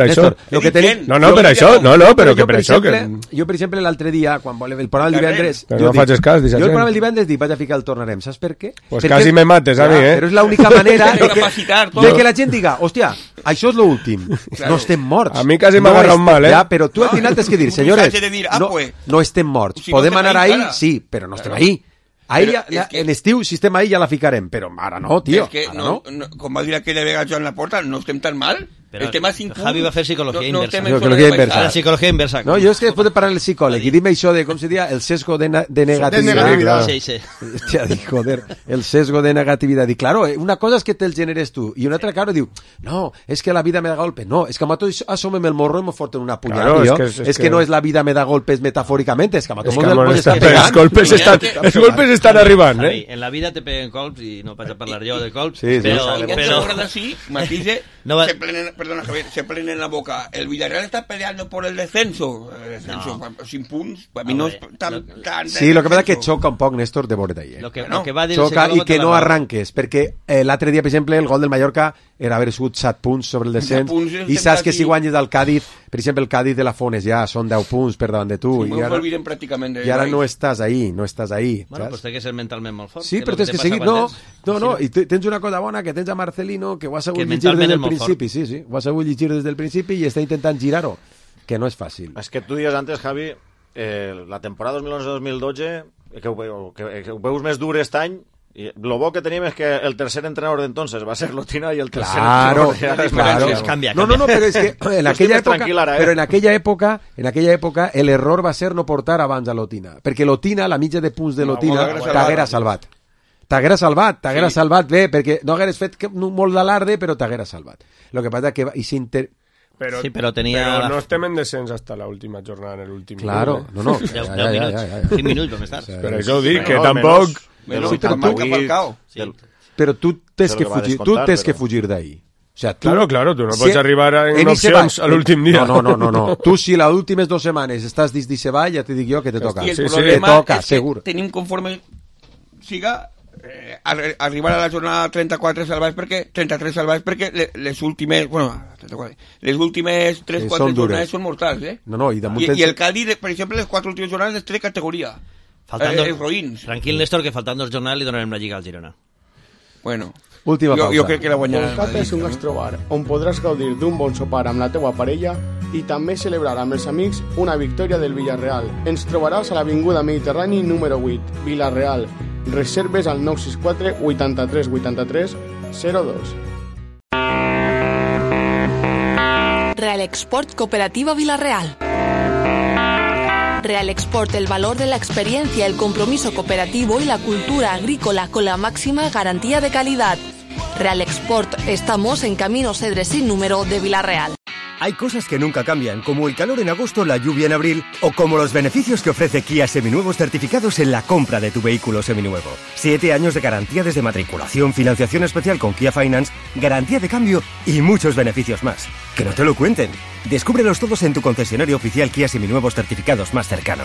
No, per això. No, però que per això... Jo, per exemple, l'altre dia, quan el programa del divendres... Però no faig cas, jo el programa del divendres dic, vaig a ficar el tornarem, saps per què? Pues quasi me mates a mi, Però és l'única manera de que la gent diga, hòstia, això és l'últim, no estem morts. A mi quasi m'agarra un mal, Però tu al final tens que dir, señores, no estem morts. Podem anar ahí, sí, però no estem ahí. Ahí en estiu, si estem ahí, ja la ficarem, però ara no, tio. És que, com va dir aquella vegada Joan Laporta, no estem tan mal. Pero el tema 5 Javi va a hacer psicología inversa. La psicología inversa. No, yo es que después de parar el psicólogo y dime eso de, ¿cómo se diría? El sesgo de negatividad. Sí. Hostia, joder, el sesgo de negatividad. Y claro, una cosa es que te el generes tú y una otra, claro, digo, no, es que la vida me da golpes. No, es que a mato asómeme el morro y me foten una puñalada. Claro, es que no es la vida me da golpes metafóricamente, es que a mato los golpes están arriba, ¿eh? En la vida te peguen golpes y no vas a hablar yo de golpes. Sí, pero así, matice, perdona Javier, se plena en la boca. El Villarreal está peleando por el descenso. Sin punts, para mí no es tan... Sí, lo que pasa es que choca un poc, Néstor, de veure ahí. Lo que va dir xoca i que no arranques, perquè l'altre dia, per exemple, el gol del Mallorca era haver sigut 7 punts sobre el descens i saps que si guanyes del Cádiz, per exemple, el Cádiz de la Fones ja són 10 punts per davant de tu i ara no estàs ahí, Bueno, pues té que ser mentalment molt fort. Sí, però tens que seguir, no, i tens una cosa bona, que tens a Marcelino, que ho ha sabut llegir des del principi, sí, ho ha sabut llegir des del principi i està intentant girar-ho, que no és fàcil. És que tu dies antes, Javi, la temporada 2011-2012, que ho veus més dur aquest any, y lo bo que teníem és que el tercer entrenador d'entonces va ser Lotina y el tercer claro. Cambia. No, pero es que en aquella època el error va ser no portar abans a Lotina, perquè Lotina, la mitja de punts de Lotina t'haguera salvat. T'haguera salvat bé, perquè no hagueres fet molt d'alarde, però t'haguera salvat. Lo que pasa que Pero tenía... Pero no estem en descens hasta la última jornada en el último. Claro, no. 5 minutos més tard. Pero això ho dic, que tampoc... Però Però tu tens que fugir d'ahí. O sea, claro, tu no pots arribar en opcions a l'últim dia. No. Tu, si les últimes 2 setmanes estàs dins d'Ixe Vall, ja te dic jo que te toca. I el problema és que tenim conforme siga arribar a la jornada 34 salvats perquè 33 salvats perquè les últimes 3-4 jornades són mortals, i el Cádiz, per exemple, les 4 últimes jornades té de categoria. Roïns. Tranquil, Néstor, que faltant 2 jornades li donarem la Lliga al Girona. Bueno, última pausa. Jo crec que la guanyarà. Volcata és un gastrobar on podràs gaudir d'un bon sopar amb la teua parella i també celebrar amb els amics una victòria del Villarreal. Ens trobaràs a l'Avinguda Mediterrani número 8, Villarreal. Reserves al 964 83 83 02. Real Export Cooperativa Villarreal. Real Export, el valor de la experiencia, el compromiso cooperativo y la cultura agrícola con la máxima garantía de calidad. Real Export, estamos en Camino Cedres sin número de Villarreal. Hay cosas que nunca cambian, como el calor en agosto, la lluvia en abril, o como los beneficios que ofrece Kia Seminuevos certificados en la compra de tu vehículo seminuevo. 7 años de garantía desde matriculación, financiación especial con Kia Finance, garantía de cambio y muchos beneficios más. Que no te lo cuenten. Descúbrelos todos en tu concesionario oficial Kia Seminuevos certificados más cercano.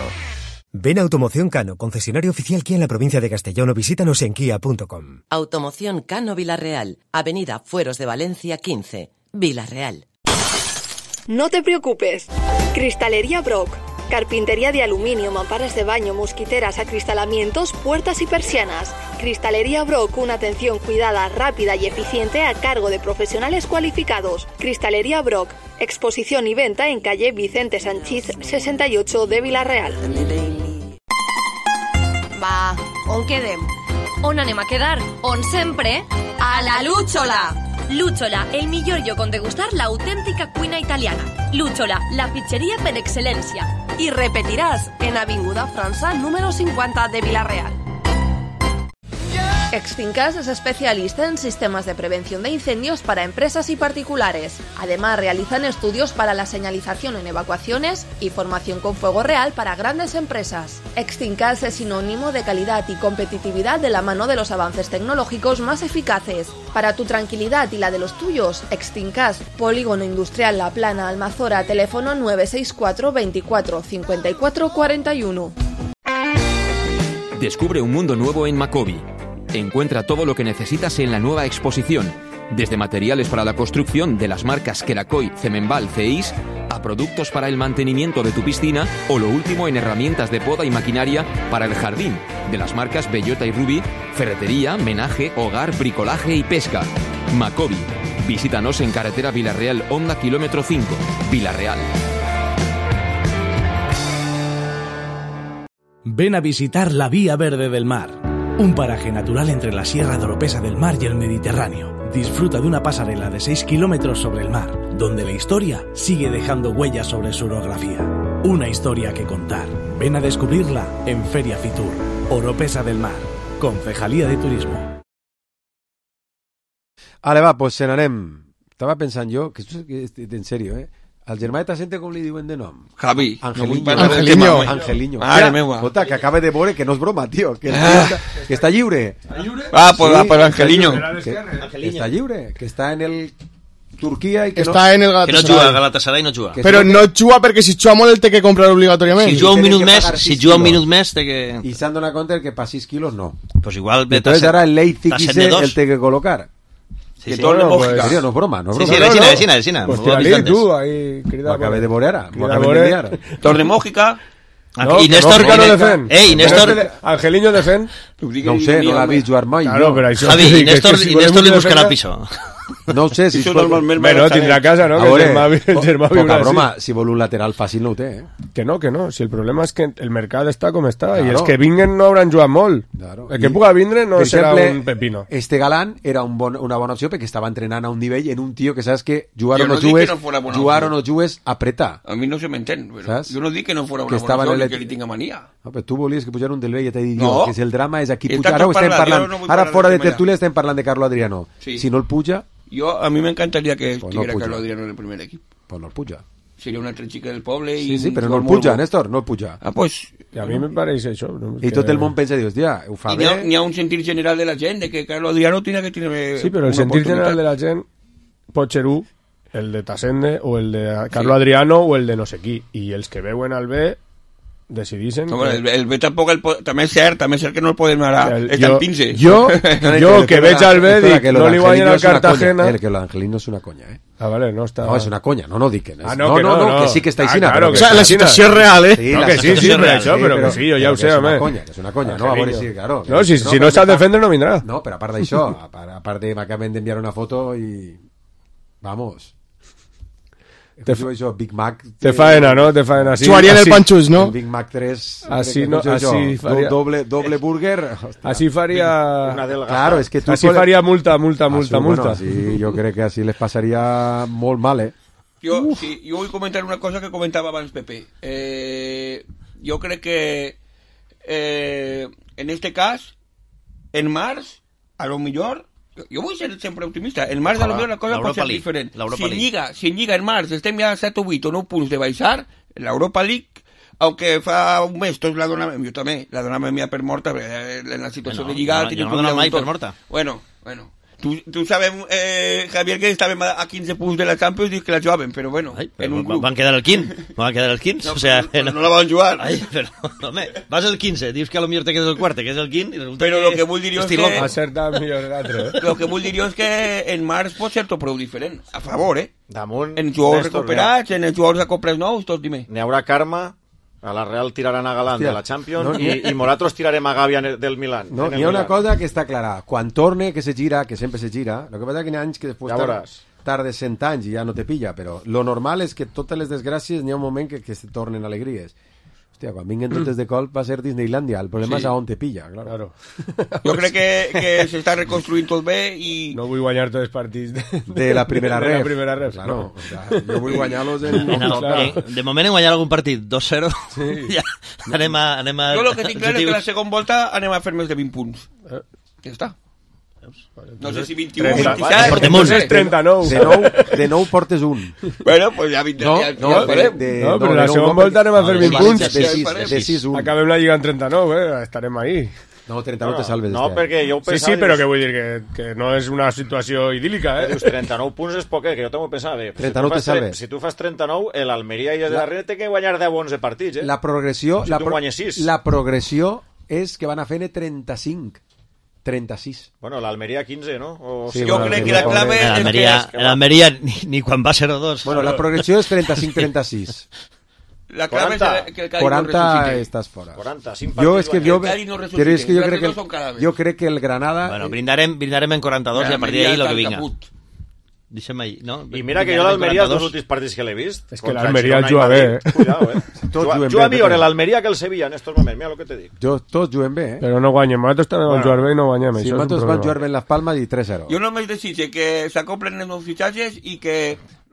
Ven a Automoción Cano, concesionario oficial Kia en la provincia de Castellón, o visítanos en kia.com. Automoción Cano Villarreal, Avenida Fueros de Valencia 15, Villarreal. No te preocupes. Cristalería Brock. Carpintería de aluminio, mamparas de baño, mosquiteras, acristalamientos, puertas y persianas. Cristalería Brock, una atención cuidada, rápida y eficiente a cargo de profesionales cualificados. Cristalería Brock, exposición y venta en calle Vicente Sanchís 68 de Villarreal. Va, on quedem? On anem a quedar? On sempre? A la Lúchola! Lúchola, el millor lloc on degustar l'autèntica cuina italiana. Lúchola, la pizzeria per excel·lència. Y repetirás en Avinguda França número 50 de Villarreal. Exfincas es especialista en sistemas de prevención de incendios para empresas y particulares. Además, realizan estudios para la señalización en evacuaciones y formación con fuego real para grandes empresas. Exfincas es sinónimo de calidad y competitividad de la mano de los avances tecnológicos más eficaces. Para tu tranquilidad y la de los tuyos, Exfincas, Polígono Industrial La Plana, Almazora, teléfono 964 24 54 41. Descubre un mundo nuevo en Macobi. Encuentra todo lo que necesitas en la nueva exposición, desde materiales para la construcción de las marcas Kerakoy, Cemenbal, Ceis, a productos para el mantenimiento de tu piscina o lo último en herramientas de poda y maquinaria para el jardín, de las marcas Bellota y Ruby, ferretería, menaje, hogar, bricolaje y pesca. Macobi. Visítanos en carretera Villarreal, Honda kilómetro 5, Villarreal. Ven a visitar la Vía Verde del Mar. Un paraje natural entre la Sierra de Oropesa del Mar y el Mediterráneo. Disfruta de una pasarela de 6 kilómetros sobre el mar, donde la historia sigue dejando huellas sobre su orografía. Una historia que contar. Ven a descubrirla en Feria Fitur. Oropesa del Mar. Concejalía de Turismo. Vale, va, pues se n'anem. Estava pensant jo, que esto es en serio, al germà de Tassente com li diuen de nom? Javi. Angeliño. Mare meua. Jota, que acaba de veure que no és broma, tio. Que està lliure. Pues Angeliño. Que està lliure. Que està en el Turquia i que està en el Galatasaray. Que no juga, Galatasaray no juga. Però no juga perquè si juga molt el té que comprar obligatòriament. Si juga un minut més té que... I s'han donat compte que per 6 quilos no. Pues igual... Entonces ara el Leipzig el té que colocar. Sí, sí. No es broma. Sí, vecina. Pues tira tú, ahí, querida. Acabé de morir ara. Torre Mójica. Y Néstor no defen. Néstor... Angeliño defen. No ho sé, no l'ha vist jugar mai. Javi, i Néstor li buscarà piso. No ho sé, si es bueno, tindrà casa, no? El germà poca broma, si vol un lateral fàcil no ho té, Que no. Si el problema és que el mercat està com està, i els que vinguen no hauran jugat molt. El que puga vindre no serà un pepino. Este Galán era una bona opció perquè estava entrenant a un nivell en un tio que saps que jugar o no jugues, apretar. A mi no se m'entén, però jo no dic que no fora una bona opció ni que li tinga mania. Tu volies que pujar un del vell i t'he dit que si el drama és aquí pujar. Ara fora de tertúlia estem parlant de Carlo Adriano. Si no el puja... A mí me encantaría que estuviera Carlos Adriano en el primer equipo. Pues no el puja. Sería una altra chica del poble. Sí, però no el puja, Néstor, no el puja. Pues I a mi me pareix això. I tot el món pensa, dius, hòstia, ho fa bé. N'hi ha un sentir general de la gent de que Carlos Adriano tiene que tener. Sí, però el sentir general de la gent pot ser el de Tassende o el de Carlos Adriano o el de no sé qui. I els que veuen al B decidixen... No, el B tampoc també és cert que no el podem anar el pince. Jo que veig al B dic, no li guanyen al Cartagena... Que l'Angelino és una conya, eh? Ah, vale, no està... No, és una conya, no dic que no. No, que sí que està aixina. Claro, o sea, la situació és real, eh? No, que sí, per això, però que sí, jo ja ho sé, home. És una conya, no? A veure si, claro. No, si no sap defendre no vindrà. No, però a part d'això, a part de m'acaben d'enviar una foto i... Vamos... Big Mac te faena, no? Te faena así. Jugarían el Panchus, ¿no? El Big Mac 3 así, no, así faria... doble burger. Así faria... Claro, es que tú así faria multa. Bueno, sí, yo creo que así les pasaría molt mal, eh? Jo vull comentar una cosa que comentava abans Pepe. Jo crec que en este cas en març, a lo millor jo vull ser sempre optimista. En març a lo millor la cosa pot ser diferent. Si en Lliga en març estem ja a 7 o 8 o 9 punts de baixar, l'Europa League, aunque fa un mes tots la donàvem, jo també la donàvem ja per morta, en la situació de Lliga jo no la dono mai per morta. Bueno, tu sabem, Javier, que estàvem a 15 punts de la Champions i que la jugàvem, però bueno, en un grup. Van quedar el 15, no, o sea... No la van jugar. Ai, però, home, vas el 15, dius que a lo millor te quedes el quart, que és el 15, i resulta però lo que vull dir és que... Acertar millor l'altre, eh? Lo que vull dir és que en març pot ser tot prou diferent, a favor, eh? Damunt... En jugadors recuperats, en els jugadors a compres nous, tot dime. N'hi haurà karma... A la Real tiraran a Galán de la Champions i nosaltres tirarem a Gavi del Milan. No, hi ha una cosa que està clara. Quan torne, que se gira, que sempre se gira, el que passa és que n'hi ha anys que després tardes 100 anys i ja no te pilla, però lo normal és que totes les desgràcies n'hi ha un moment que se tornen alegries. Hòstia, quan vinguen totes de colp va ser Disneylandia. El problema és a on te pilla, claro. Jo crec que s'està reconstruint tot bé i... No vull guanyar tots els partits de la primera ref. Claro. O sea, jo vull guanyar-los de moment hem guanyat algun partit 2-0. Sí. Ja, anem a... Jo el que tinc clar és que la segona volta anem a fer més de 20 punts. Ja està. No sé si 21 o 27. Portem uns. 39. De 9 portes un. Bueno, pues ja vindrà. No, però la segona volta anem a fer 20 punts. De 6-1. Acabem la Lliga en 39, estarem ahí. No, 39 te salves. No, perquè jo ho pensava... Sí, però que vull dir que no és una situació idíl·lica, eh? Dius, 39 punts és poquet, que jo també ho pensava. 39 te salves. Si tu fas 39, l'Almeria i el darrere té que guanyar 10-11 partits, eh? La progressió... Si tu guanyes 6. La progressió és que van a fer 35. 36. Bueno, l'Almeria 15, no? Sí, jo crec que la clave és que... L'Almeria ni quan va 0-2. Bueno, la progressió és 35-36. La clave 40, és que el Cádiz 40 no resucite. Estàs fora. 40, 5 jo és que el Cádiz no resucite. Però és que jo crec que el Granada... Bueno, brindarem en 42 i a partir d'ahí lo que vinga. Deixa'm ahí, no? I mira que jo l'Almeria, els dos últims partits que l'he vist... És que l'Almeria juga bé, eh? Cuidado, juga millor l'Almeria que el Sevilla en estos moments, mira el que te dic. Tots juguen bé, eh? Però no guanyem, nosaltres també vam jugar bé i no guanyem. Sí, nosaltres vam jugar bé en Las Palmas i 3-0. Jo només desitge que s'acoplen els nous fitxatges i que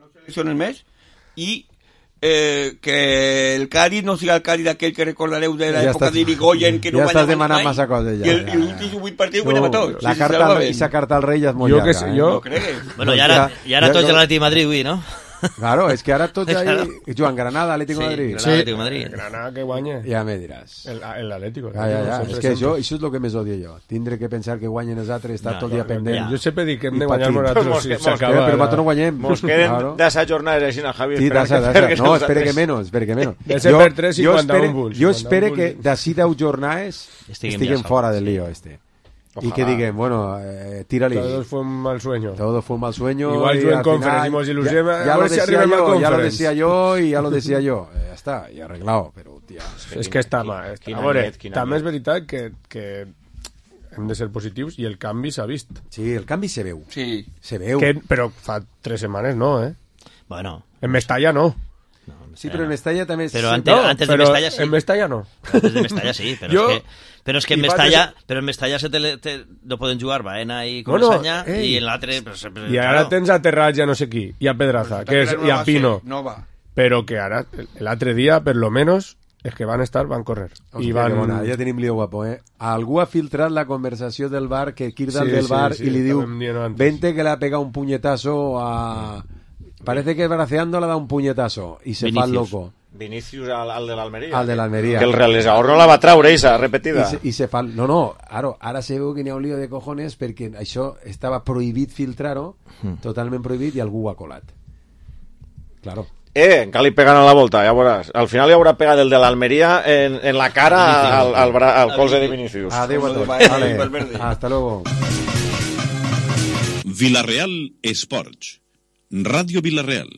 no seleccionen més i que el Cádiz no siga el Cádiz aquell que recordareu de l'època d'Irigoyen, que no guanyava mai. Ja estàs demanant massa coses, ja. I l'últim 8 partits guanyava tots. Aquesta carta al Rei ja és molt llarga. No cregues. Bueno, i ara tots a l'Atlètic de Madrid, avui, no? Claro, es que ahora tots ahí... Joan, Granada, Atlético de Madrid. Sí, Atlético de Madrid. Granada que guanya. Ja me diràs. El Atlético. Ja. És que això és el que més odio jo. Tindre que pensar que guanyen els altres, estar tot el dia pendent. Jo sempre dic que hem de guanyar nosaltres si s'acaba. Però nosaltres no guanyem. Mos queden d'assa jornades així, Javi. Sí, d'assa. No, espere que menos. De ser per 3,51 punts. Jo espero que d'ací 10 jornades estiguen fora del lío este. Ojalá. Y que digan, bueno, tírale. Todos fue un mal sueño. Todo fue un mal sueño. Igual yo en conferencia hicimos ilusión. Ya lo decía yo y ya lo decía yo. Ya está, y arreglado. Pero, tía, és que està mal. També és veritat que hem de ser positius i el canvi s'ha vist. Sí, el canvi se veu. Sí. Se veu. Però fa 3 setmanes no, eh? Bueno. En Mestalla no. Sí, pero en Mestalla también... Pero antes de Mestalla sí. En Mestalla no. Antes de Mestalla sí, pero es que en Mestalla no poden jugar Baena i Comesaña i en l'altre... I ara tens a Terrats i a no sé qui, i a Pedraza, i a Pino. Però que ara, l'altre dia, per lo menos, és que van correr. I van... Ja tenim lío guapo, eh? Algú ha filtrat la conversació del bar, que Kirdal del bar, i li diu, vente que le ha pegado un puñetazo a... Parece que Braceando le da un puñetazo y se va loco. Vinicius al de l'Almeria. Al de l'Almeria. Que el realitzador no la va traure, esa repetida. I se fa... No, ara se veu que n'hi ha un lío de cojones perquè això estava prohibit filtrar-ho, totalment prohibit, i algú ho ha colat. Claro. Encara li pegant a la volta, ja veuràs. Al final li haurà pegat el de l'Almeria en la cara al colze de Vinicius. Adéu a tots. Vale. Hasta luego. Villarreal Esports. Radio Villarreal.